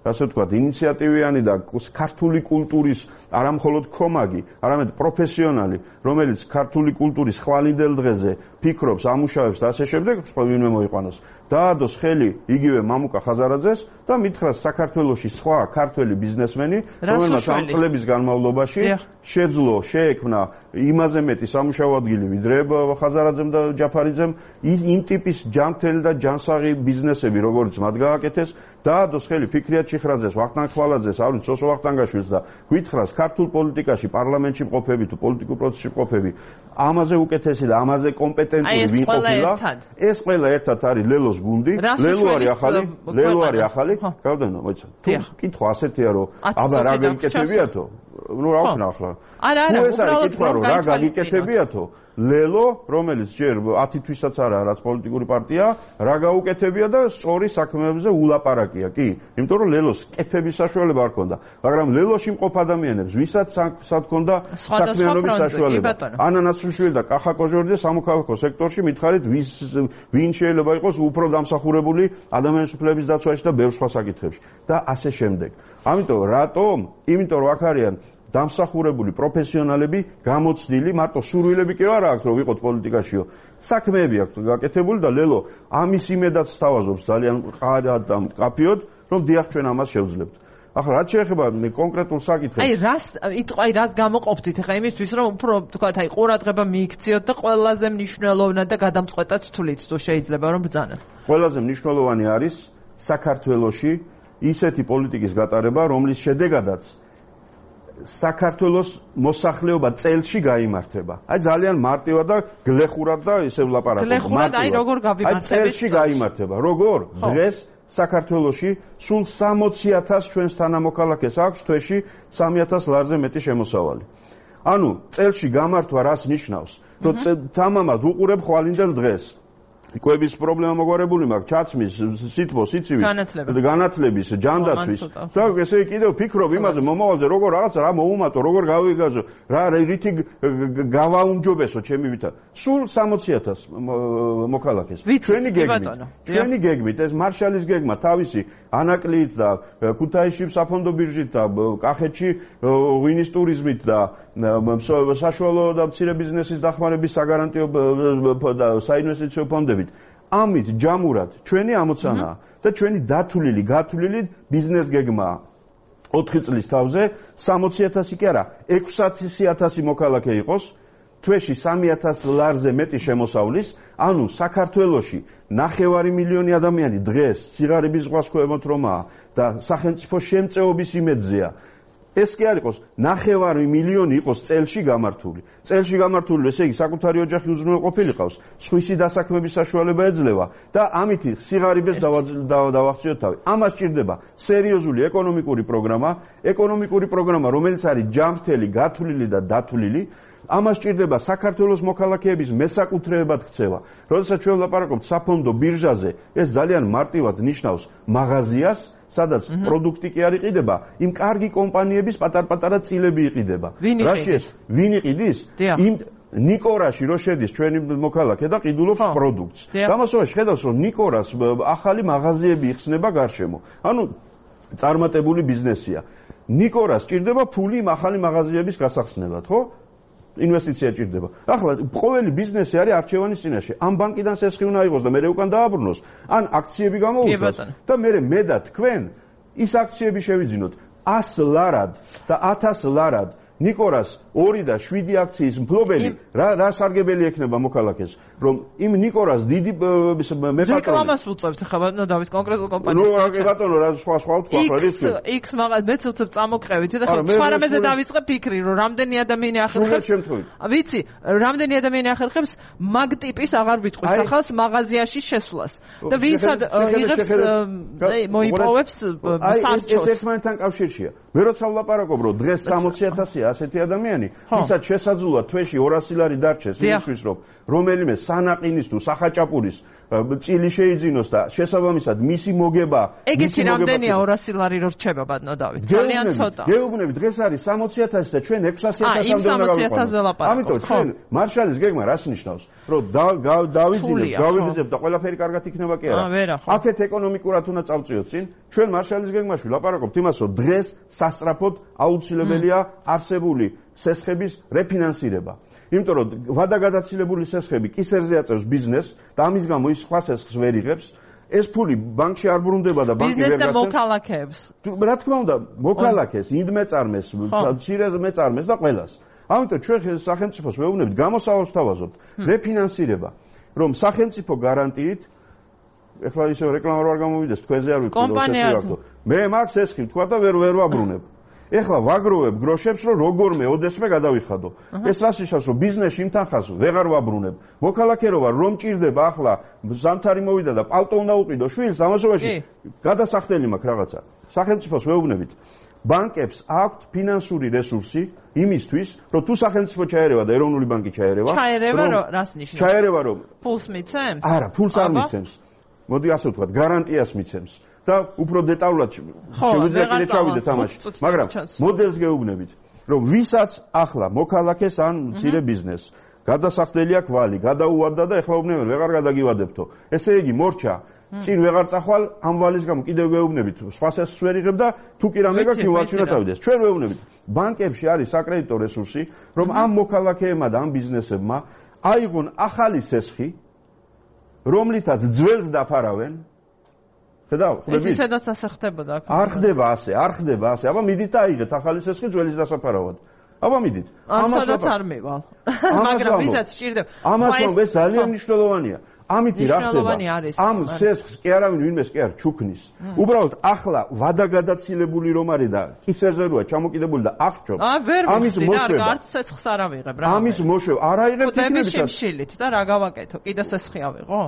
ასე ვთქვათ, ინიციატივიანი და ქართული კულტურის არა მხოლოდ ქომაგი, არამედ პროფესიონალი, რომელიც ქართული კულტურის ხვალინდელ დღეზე ფიქრობს, ამუშავებს და ასე შემდეგ, ვინმე მოიყვანოს. დაადოს ხელი იგივე მამუკა ხაზარაძეს და მითხრას საქართველოში სხვა ქართველი ბიზნესმენი, რომელმაც ამ წლების განმავლობაში შეძლო, შეექმნა იმაზე მეტი სამუშაო ადგილი, ვიდრე ხაზარაძემ და ჯაფარიძემ, იმ ტიპის ჯანმრთელი და ჯანსაღი ბიზნესები, როგორც მათ გააკეთეს, დაადოს ხელი ფიქრიათ ჩიხრაძეს, ვახტანგ ხვალაძეს, ავრი სოსო ვახტანგაშვილს და გითხრას ქართულ პოლიტიკაში, პარლამენტში მყოფები თუ პოლიტიკურ პროცესში მყოფები, ამაზე უკეთესი და ამაზე კომპეტენტური ვინ ყოფილა, ეს ყველა ერთად არის ლელოს გუნდი, ლელო არის ახალი, ლელო არის ახალი, გავდენო, მოიცა. თუ კითხვა ასეთია, რომ აბა რა გეკეთებიათო? ნუ რა ვქნა ახლა. არა, არა, უბრალოდ რა გაკეთებიათო? ლელო, რომელიც ჯერ ათი თვისაც არა, რაც პოლიტიკური პარტია, რა გაუკეთებია და სწორი საქმეებზე ულაპარაკია, კი? იმიტომ რომ ლელოს კეთების საშუალება არ ქონდა, მაგრამ ლელოში მყოფ ადამიანებს, ვისაც სად ქონდა საქმიანობის საშუალება. ანა ნაცრუშვილი და კახა კოჟორიძე სამოქალაქო სექტორში მითხარით, ვის ვინ შეიძლება იყოს უფრო დამსახურებული ადამიანის უფლების დაცვაში და ბევრ სხვა საკითხებში და ასე შემდეგ. ამიტომ რატომ? იმიტომ რომ აქ არიან დამსახურებული პროფესიონალები, გამოცდილი, მარტო სურვილები კი არა აქვს, რომ ვიყოთ პოლიტიკაშიო. საქმეები აქვს გაკეთებული და ლელო ამის იმედად სთავაზობს ძალიან ყარად და მკაფიოდ, რომ დიახ ჩვენ ამას შევძლებთ. ახლა რაც შეეხება კონკრეტულ საკითხებს. აი რას იტყვა, აი რას გამოყოფდით ახლა იმისთვის, რომ უფრო თქვათ, აი ყურადღება მიიქციოთ და ყველაზე მნიშვნელოვნად და გადამწყვეტად თვლით, თუ შეიძლება რომ ბრძანოთ. ყველაზე მნიშვნელოვანი არის საქართველოში ისეთი პოლიტიკის გატარება, რომლის შედეგადაც საქართველოს მოსახლეობა წელში გაიმართება. აი ძალიან მარტივად და გლეხურად და ისე ვლაპარაკობ. გლეხურად აი როგორ გავიმართებით? აი წელში გაიმართება. როგორ? დღეს საქართველოში სულ სამოცი ათას ჩვენს თანამოქალაქეს აქვს თვეში სამი ათას ლარზე მეტი შემოსავალი. ანუ წელში გამართვა რას ნიშნავს? რომ თამამად უყურებ ხვალინდელ დღეს. კვების პრობლემა მოგვარებული მაქვს, ჩაცმის, სითბო, სიცივის, განათლების, ჯანდაცვის. და ესე კიდევ ფიქრობ იმაზე, მომავალზე როგორ რაღაცა რა მოუმატო, როგორ გავიგაზო, რა რითი გავაუმჯობესო ჩემი ვითარ. სულ სამოცი ათას მოქალაქეს. ჩვენი გეგმით, ჩვენი გეგმით ეს მარშალის გეგმა თავისი ანაკლით და ქუთაისში საფონდო ბირჟით და კახეთში ღვინის ტურიზმით და საშუალო და მცირე ბიზნესის დახმარების საგარანტიო და საინვესტიციო ფონდებით. ამით ჯამურად ჩვენი ამოცანაა და ჩვენი დათვლილი, გათვლილი ბიზნეს გეგმაა. ოთხი წლის თავზე სამოცი ათასი კი არა, ექვსი ათასი მოქალაქე იყოს, თვეში სამი ათას ლარზე მეტი შემოსავლის, ანუ საქართველოში ნახევარი მილიონი ადამიანი დღეს სიღარიბის ზღვას ქვემოთრომაა და სახელმწიფო შემწეობის იმედზეა. ეს კი არ იყოს ნახევარი მილიონი იყოს წელში გამართული. წელში გამართული, ესე იგი საკუთარი ოჯახი უზრუნველყოფილიყავს, სხვისი დასაქმების საშუალება ეძლევა და ამით სიღარიბეს დავახციოთ თავი. ამას სჭირდება სერიოზული ეკონომიკური პროგრამა, ეკონომიკური პროგრამა, რომელიც არის ჯანმრთელი, გათვლილი და დათვლილი. ამას სჭირდება საქართველოს მოქალაქეების მესაკუთრეებად ქცევა. როდესაც ჩვენ ვლაპარაკობთ საფონდო ბირჟაზე, ეს ძალიან მარტივად ნიშნავს მაღაზიას, სადაც პროდუქტი კი არ იყიდება, იმ კარგი კომპანიების პატარ-პატარა წილები იყიდება. რაშიეს, ვინ იყიდის? იმ ნიკორაში რო შედის ჩვენი მოქალაქე და ყიდულობს პროდუქტს. გამოსავალი ხედავს, რომ ნიკორას ახალი მაღაზიები იხსნება გარშემო. ანუ წარმატებული ბიზნესია. ნიკორას სჭირდება ფული იმ ახალი მაღაზიების გასახსნელად, ხო? ინვესტიცია ჭირდება. ახლა ყოველი ბიზნესი არის არჩევანის წინაშე. ამ ბანკიდან სესხი უნდა იყოს და მე უკან დააბრუნოს, ან აქციები გამოუშვას და მე მე და თქვენ ის აქციები შევიძინოთ ას ლარად და ათას ლარად. ნიკორას ორი და შვიდი აქციის მფლობელი რა რა სარგებელი ექნება მოქალაქეს, რომ იმ ნიკორას დიდი მეპატრონი რეკლამას უწევთ ხება და დავით კონკრეტულ კომპანიას. ნუ რა ბატონო რა სხვა სხვა თქვა რა ის X მაგას მეც უწევ წამოყევით და ხო სხვა რამეზე დავიწყე ფიქრი, რომ რამდენი ადამიანი ახერხებს. ვიცი, რამდენი ადამიანი ახერხებს მაგ ტიპის აღარ ვიტყვის ახალს მაღაზიაში შესვლას. და ვინცად იღებს მოიპოვებს სარჩოს. ეს ერთმანეთთან კავშირშია. მე როცა ვლაპარაკობ, რომ დღეს სამოცი ათასია ასეთი ადამიანი, ვისაც შესაძლოა თვეში ორასი ლარი დარჩეს იმისთვის, რომ რომელიმე სანაყინის თუ სახაჭაპურის წილი შეიძინოს და შესაბამისად მისი მოგება ეგეთი რამდენია ორასი ლარი რო რჩება ბატონო დავით ძალიან ცოტა გეუბნები დღეს არის სამოცი ათასი და ჩვენ ექვსასი ათასამდე უნდა გავიყვანოთ ამიტომ ჩვენ მარშალის გეგმა რას ნიშნავს რომ დავიძინებთ გავიძინებთ და ყველაფერი კარგად იქნება კი არა აქეთ ეკონომიკურად უნდა წავწიოთ წინ ჩვენ მარშალის გეგმაში ვლაპარაკობთ იმას რომ დღეს სასწრაფოდ აუცილებელია არსებული სესხების რეფინანსირება იმიტომ რომ ვადაგადაცილებული სესხები კისერზე აწევს ბიზნესს და ამის გამო ის სხვა სესხს ვერ იღებს ეს ფული ბანკში არ ბრუნდება და ბანკი ვერ გასცემს ბიზნესს და მოქალაქეებს რა თქმა უნდა მოქალაქეს ინდმეწარმეს მცირე მეწარმეს და ყველას ამიტომ ჩვენ სახელმწიფოს ვეუბნებით გამოსავალს თავაზობთ რეფინანსირება რომ სახელმწიფო გარანტიით ეხლა ისე რეკლამა არ გამოვიდეს თქვენზე არ ვიცი რომ მე მაქვს სესხი თქვა და ვერ ვერ ვაბრუნებ ეხლა ვაგროვებ გროშებს რომ როგორმე ოდესმე გადავიხადო ეს რას ნიშნავს რომ ბიზნესში იმთანხას ვეღარ ვაბრუნებ მოქალაქე რო ვარ რომ ჭირდება ახლა ზამთარი მოვიდა და პალტო უნდა უყიდო შვილს ამასობაში გადასახდელი მაქვს რაღაცა სახელმწიფოს ვეუბნებით ბანკებს აქვთ ფინანსური რესურსი იმისთვის რომ თუ სახელმწიფო ჩაერევა და ეროვნული ბანკი ჩაერევა ჩაერევა რომ რას ნიშნავს ჩაერევა რომ ფულს მიცემს არა ფულს არ მიცემს მოდი ასე ვთქვათ გარანტიას მიცემს და უფრო დეტალურად შეგვიძლია კიდე ჩავიდეთ ამაში მაგრამ მოდელს გეუბნებით რომ ვისაც ახლა მოქალაქეს ან მცირე ბიზნესს გადასახდელია კვალი გადაუვადდა და ეხლა უბნებენ ვეღარ გადაგივადებთო ესე იგი მორჩა წინ ვეღარ წახვალ ამ ვალის გამო კიდევ ვეუბნებით სხვა სესხს ვერ იღებ და თუ კი რამე გაქვს მივაჩვენა წავიდეს ჩვენ ვეუბნებით ბანკებში არის საკრედიტო რესურსი რომ ამ მოქალაქეებმა და ამ ბიზნესებმა აიღონ ახალი სესხი რომლითაც ძველს დაფარავენ ხედავ ხდები ეს ისედაც ასე ხდებოდა აქ არ ხდება ასე არ ხდება ასე აბა მიდით და აიღეთ ახალი სესხი ძველის დასაფარავად აბა მიდით ამასაც არ მივალ მაგრამ ვისაც სჭირდება ამას რომ ეს ძალიან მნიშვნელოვანია ამით რა ხდება ამ სესხს კი არავინ ვინმეს კი არ ჩუქნის უბრალოდ ახლა ვადაგადაცილებული რომ არის და კისერზე როა ჩამოკიდებული და აღჭობს ამის მოშვება არც სესხს არ ავიღებ რა ამის მოშვება არ აიღებ თითქმის შემშილით და რა გავაკეთო კიდე სესხი ავიღო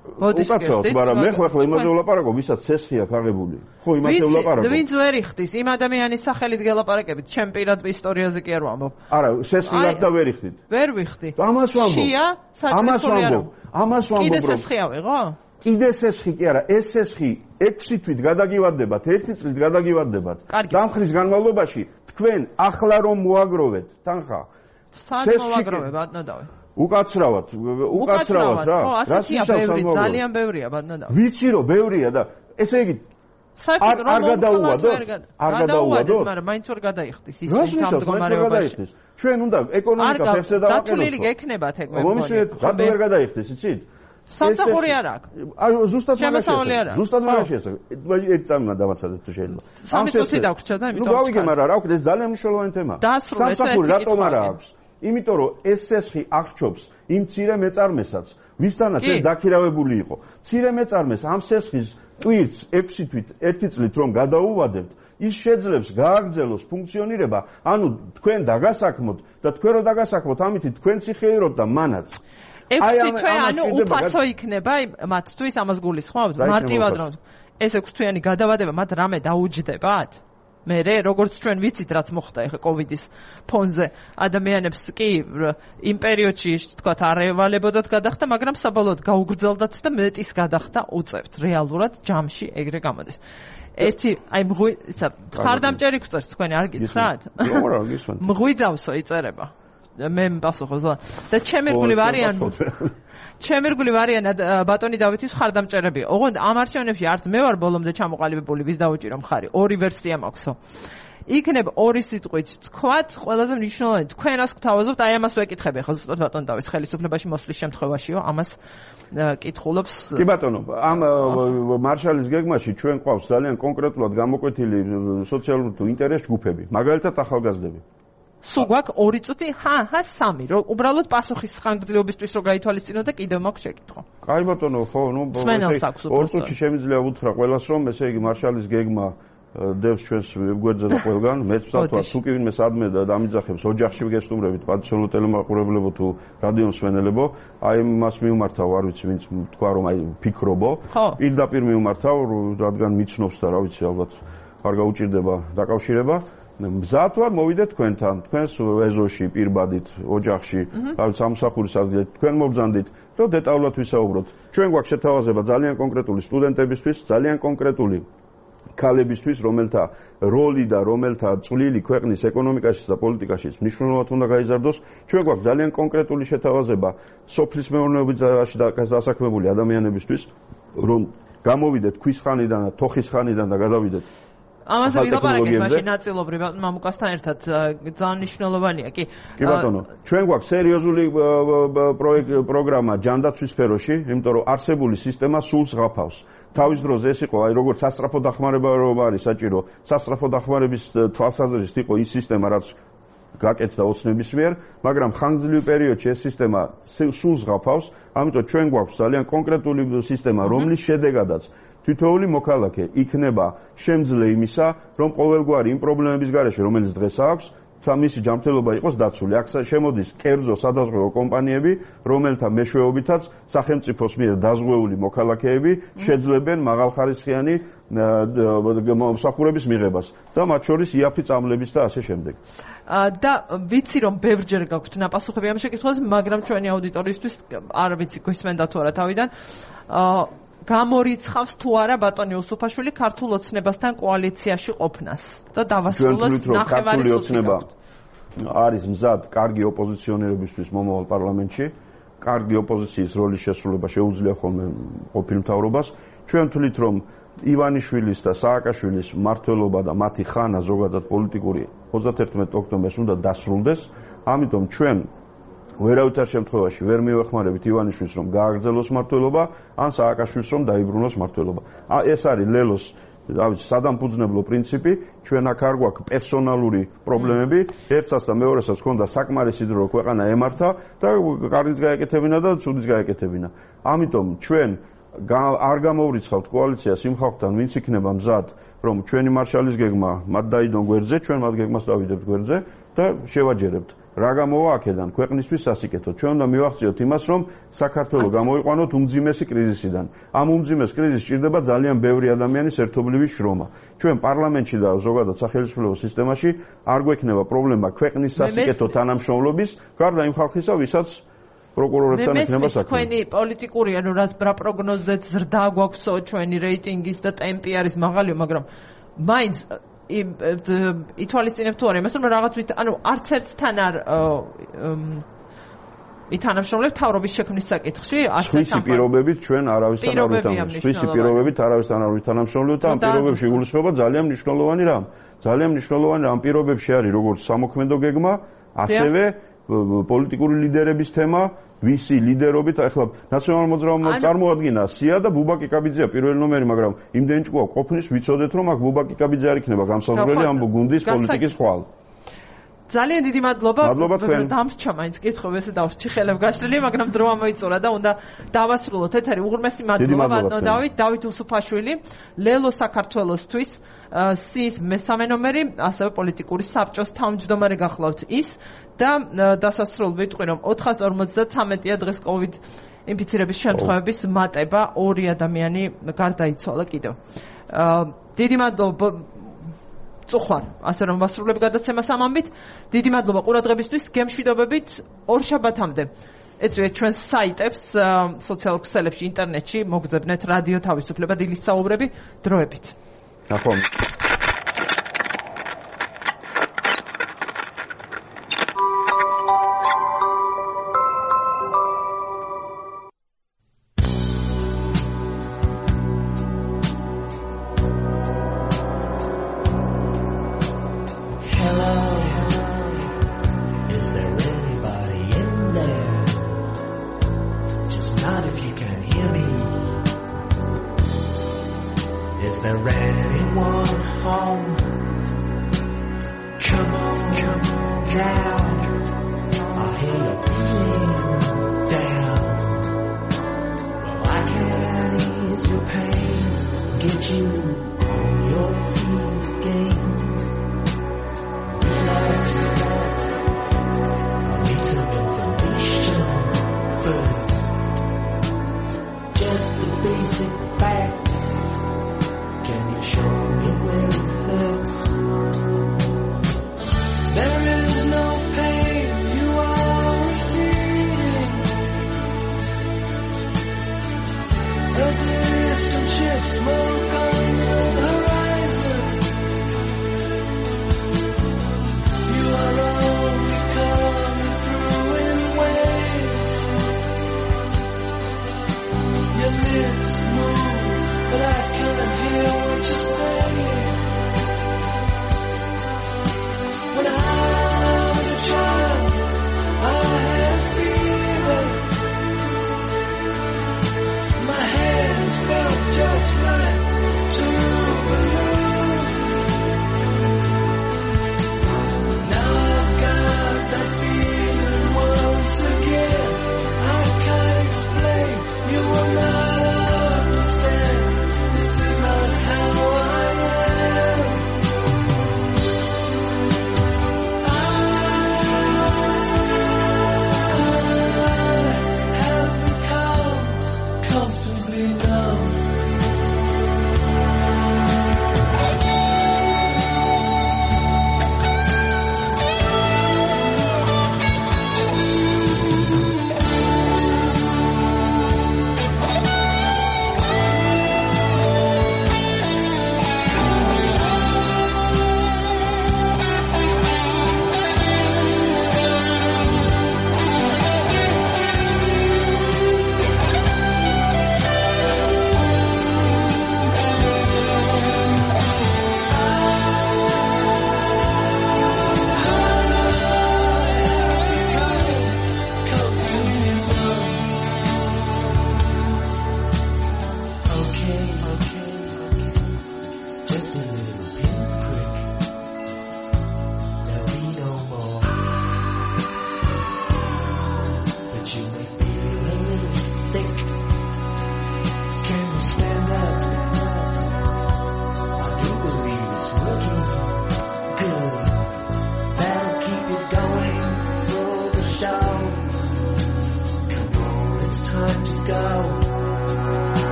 მოდი შეგხვდით მაგრამ მე ხო ახლა იმაზე ვლაპარაკობ ვისაც სესხი აქვს აღებული ხო იმაზე ვლაპარაკობ ვინც ვერ იხდის იმ ადამიანის სახელით გელაპარაკებით ჩემ პირად ისტორიაზე კი არ ვამბობ არა სესხი და ვერ იხდით ვერ ვიხდი ამას ვამბობ შია საჭმელი არა ამას ვამბობ კიდე სესხი ავიღო კიდე სესხი კი არა ეს სესხი ექვსი თვით გადაგივარდებათ ერთი წლით გადაგივარდებათ დამხრის განმავლობაში თქვენ ახლა რომ მოაგროვეთ თანხა სად მოაგროვე ბატონო დავე უკაცრავად უკაცრავად რა რას ნიშნავს ძალიან ბევრია ბატონო დავე ვიცი რომ ბევრია და ესე იგი საერთოდ რომ გადაუვადოთ არ გადაუვადოთ მაგრამ მაინც ვერ გადაიხდის ის ამ მდგომარეობაში ჩვენ უნდა ეკონომიკა ფეხზე დავაყენოთ დათვლილი გექნებათ ეგ მე მომისმენთ რატო ვერ გადაიხდეს იცით სამსახური არ აქვს აი ზუსტად შემოსავალი არ აქვს ზუსტად მაგაში ეს ერთ წამნა დავაცადეთ თუ შეიძლება სამი წუთი დაგვრჩა და იმიტომ ნუ გავიგე მაგრამ რა ვქნა ეს ძალიან მნიშვნელოვანი თემაა სამსახური რატომ არ აქვს იმიტომ რომ ეს სესხი აღჭობს იმ მცირე მეწარმესაც ვისთანაც ეს დაქირავებული იყო მცირე მეწარმეს ამ სესხის ტვირთს ექვსი თვით ერთი წლით რომ გადაუვადებთ ის შეძლებს გააგრძელოს ფუნქციონირება ანუ თქვენ დაგასაქმოთ და თქვენ რო დაგასაქმოთ ამით თქვენც იხეიროთ და მანაც ექვსი თვე ანუ უფასო იქნება მათთვის ამას გულისხმობთ მარტივად რომ ეს ექვსი თვიანი გადავადება მათ რამე დაუჯდებათ მე როგორც ჩვენ ვიცით რაც მოხდა ეხა კოვიდის ფონზე ადამიანებს კი იმ პერიოდში თქვა არ ევალებოდათ გადახდა მაგრამ საბოლოოდ გაუგრძელდათ და მეტის გადახდა უწევთ რეალურად ჯამში ეგრე გამოდის ერთი აი მღვი ისა ხარდამჭერი გწერს თქვენი არ გითხრათ მღვიძავსო იწერება მე პასუხობ ზო და ჩემი რგული ვარიან ჩემი რგული ვარიან ბატონი დავითის ხარდამჭერები ოღონდ ამ არჩევნებში არც მე ვარ ბოლომდე ჩამოყალიბებული ვის დაუჭირო მხარი ორი ვერსია მაქვსო იქნებ ორი სიტყვით თქვათ ყველაზე მნიშვნელოვანი თქვენ რას გთავაზობთ აი ამას ვეკითხები ახლა ზუსტად ბატონ დავის ხელისუფლებაში მოსვლის შემთხვევაშიო ამას კითხულობს კი ბატონო ამ მარშალის გეგმაში ჩვენ ყავს ძალიან კონკრეტულად გამოკვეთილი სოციალური თუ ინტერეს ჯგუფები მაგალითად ახალგაზრდები სულ გვაქვს ორი წუთი ჰა ჰა სამი რომ უბრალოდ პასუხის ხანგრძლივობისთვის რო გაითვალისწინო და კიდევ მაქვს შეკითხვა კაი ბატონო ხო ნუ ორ წუთში შემიძლია უთხრა ყველას რომ ესე იგი მარშალის გეგმა დევს ჩვენს გვერდზე და ყველგან მეც ვსათვარ თუ კი ვინმე სადმე და დამიძახებს ოჯახში გესტუმრებით პატიციურ ტელემაყურებლებო თუ რადიო მსმენელებო აი მას მიუმართავ არ ვიცი ვინც თქვა რომ აი ფიქრობო პირდაპირ მიუმართავ რადგან მიცნობს და რა ვიცი ალბათ არ გაუჭირდება დაკავშირება მზად ვარ მოვიდეთ თქვენთან, თქვენს ეზოში, პირბადით, ოჯახში, თავის სამსახურის ადგილით, თქვენ მობრძანდით, რომ დეტალურად ვისაუბროთ. ჩვენ გვაქვს შეთავაზება ძალიან კონკრეტული სტუდენტებისთვის, ძალიან კონკრეტული ქალებისთვის, რომელთა როლი და რომელთა წვლილი ქვეყნის ეკონომიკაში და პოლიტიკაში მნიშვნელოვნად უნდა გაიზარდოს. ჩვენ გვაქვს ძალიან კონკრეტული შეთავაზება სოფლის მეურნეობაში დასაქმებული ადამიანებისთვის, რომ გამოვიდეთ ქვის ხანიდან და თოხის ხანიდან და გადავიდეთ ამაზე ვილაპარაკეთ მაშინ ნაწილობრივ მამუკასთან ერთად ძალიან მნიშვნელოვანია კი კი ბატონო ჩვენ გვაქვს სერიოზული პროგრამა ჯანდაცვის სფეროში იმიტომ რომ არსებული სისტემა სულს ღაფავს თავის დროზე ეს იყო აი როგორც სასწრაფო დახმარება რომ არის საჭირო სასწრაფო დახმარების თვალსაზრისით იყო ის სისტემა რაც გაკეთდა ოცნების მიერ მაგრამ ხანგრძლივ პერიოდში ეს სისტემა სულს ღაფავს ამიტომ ჩვენ გვაქვს ძალიან კონკრეტული სისტემა რომლის შედეგადაც თითოეული მოქალაქე იქნება შემძლე იმისა, რომ ყოველგვარი იმ პრობლემების გარეშე, რომელიც დღეს აქვს, მისი ჯანმრთელობა იყოს დაცული. აქ შემოდის კერძო სადაზღვევო კომპანიები, რომელთა მეშვეობითაც სახელმწიფოს მიერ დაზღვეული მოქალაქეები შეძლებენ მაღალხარისხიანი მომსახურების მიღებას და მათ შორის იაფი წამლების და ასე შემდეგ. და ვიცი რომ ბევრჯერ გაქვთ ნაპასუხები ამ შეკითხვაზე, მაგრამ ჩვენი აუდიტორიისთვის არ ვიცი გვისმენდა თუ არა თავიდან. გამორიცხავს თუ არა ბატონი უსუფაშვილი ქართულ ოცნებასთან კოალიციაში ყოფნას და დავასრულოთ ნახევარი ოცნება არის მზად კარგი ოპოზიციონერებისთვის მომავალ პარლამენტში კარგი ოპოზიციის როლის შესრულება შეუძლია ხოლმე ყოფილ მთავრობას ჩვენ ვთვლით რომ ივანიშვილის და სააკაშვილის მმართველობა და მათი ხანა ზოგადად პოლიტიკური ოცდაერთმეტ ოქტომბერს უნდა დასრულდეს ამიტომ ჩვენ ვერავითარ შემთხვევაში ვერ მივეხმარებით ივანიშვილს რომ გააგრძელოს მმართველობა ან სააკაშვილს რომ დაიბრუნოს მმართველობა. ეს არის ლელოს დავით სადამფუძნებლო პრინციპი ჩვენ აქ არ გვაქვს პერსონალური პრობლემები ერთსაც და მეორესაც ჰქონდა საკმარისი დრო ქვეყანა ემართა და კარგიც გაეკეთებინა და ცუდიც გაეკეთებინა. ამიტომ ჩვენ არ გამოვრიცხავთ კოალიციას იმ ხალხთან ვინც იქნება მზად რომ ჩვენი მარშალის გეგმა მათ დაიდონ გვერდზე ჩვენ მათ გეგმას დავიდებთ გვერდზე და შევაჯერებთ რა გამოვა აქედან ქვეყნისთვის სასიკეთო ჩვენ უნდა მივახციოთ იმას რომ საქართველოს გამოიყვანოთ უმძიმესი კრიზისიდან ამ უმძიმეს კრიზისს ჭირდება ძალიან ბევრი ადამიანის ერთობლივი შრომა ჩვენ პარლამენტში და ზოგადად სახელმწიფო სისტემაში არ გვექნება პრობლემა ქვეყნის სასიკეთო თანამშრომლობის გარდა იმ ხალხისა ვისაც პროკურორებთან ექნება საქმე. თქვენი პოლიტიკური ანუ რას რა პროგნოზეთ ზრდა გვაქვსო ჩვენი რეიტინგის და ტემპი არის მაღალიო, მაგრამ მაინც ითვალისწინებ თუ არა იმას რომ რაღაც ანუ არც ერთთან არ ითანამშრომლებთ თავრობის შექმნის საკითხში, არც ერთ ამ პირობებით ჩვენ არავისთან არ ვითანამშრომლებთ. სხვისი პირობებით არავისთან არ ვითანამშრომლებთ და ამ პირობებში გულისხმობა ძალიან მნიშვნელოვანი რამ. ძალიან მნიშვნელოვანი ამ პირობებში არის როგორც სამოქმედო გეგმა, ასევე პოლიტიკური ლიდერების თემა, ვისი ლიდერობით, ახლა ნაციონალურ მოძრაობამ წარმოადგინა სია და ბუბაკი კაბიძეა პირველი ნომერი, მაგრამ იმდენი ჭკუა ყოფნის ვიცოდეთ, რომ აქ ბუბაკი კაბიძე არ იქნება გამსაზღვრელი ამ გუნდის პოლიტიკის ხვალ. ძალიან დიდი მადლობა. დამრჩა მაინც კითხები, ესე დავრჩი ხელებ გაშლილი, მაგრამ დრო ამოიწურა და უნდა დავასრულოთ ეთერი. უღრმესი მადლობა ბატონო დავით, დავით უსუფაშვილი, ლელო საქართველოსთვის სიის მესამე ნომერი, ასევე პოლიტიკური საბჭოს თავმჯდომარე გახლავთ ის და დასასრულ ვიტყვი რომ ოთხას ორმოცდათრამეტია დღეს კოვიდ ინფიცირების შემთხვევების მატება, ორი ადამიანი გარდაიცვალა კიდევ. დიდი მადლობა წუხვარ, ასე რომ ვასრულებ გადაცემას ამ ამბით. დიდი მადლობა ყურადღებისთვის, გემშვიდობებით ორ შაბათამდე. ეწვიეთ ჩვენს საიტებს, სოციალურ ქსელებში, ინტერნეტში, მოგძებნეთ რადიო თავისუფლება დილის საუბრები დროებით. ნახვამდის. smoke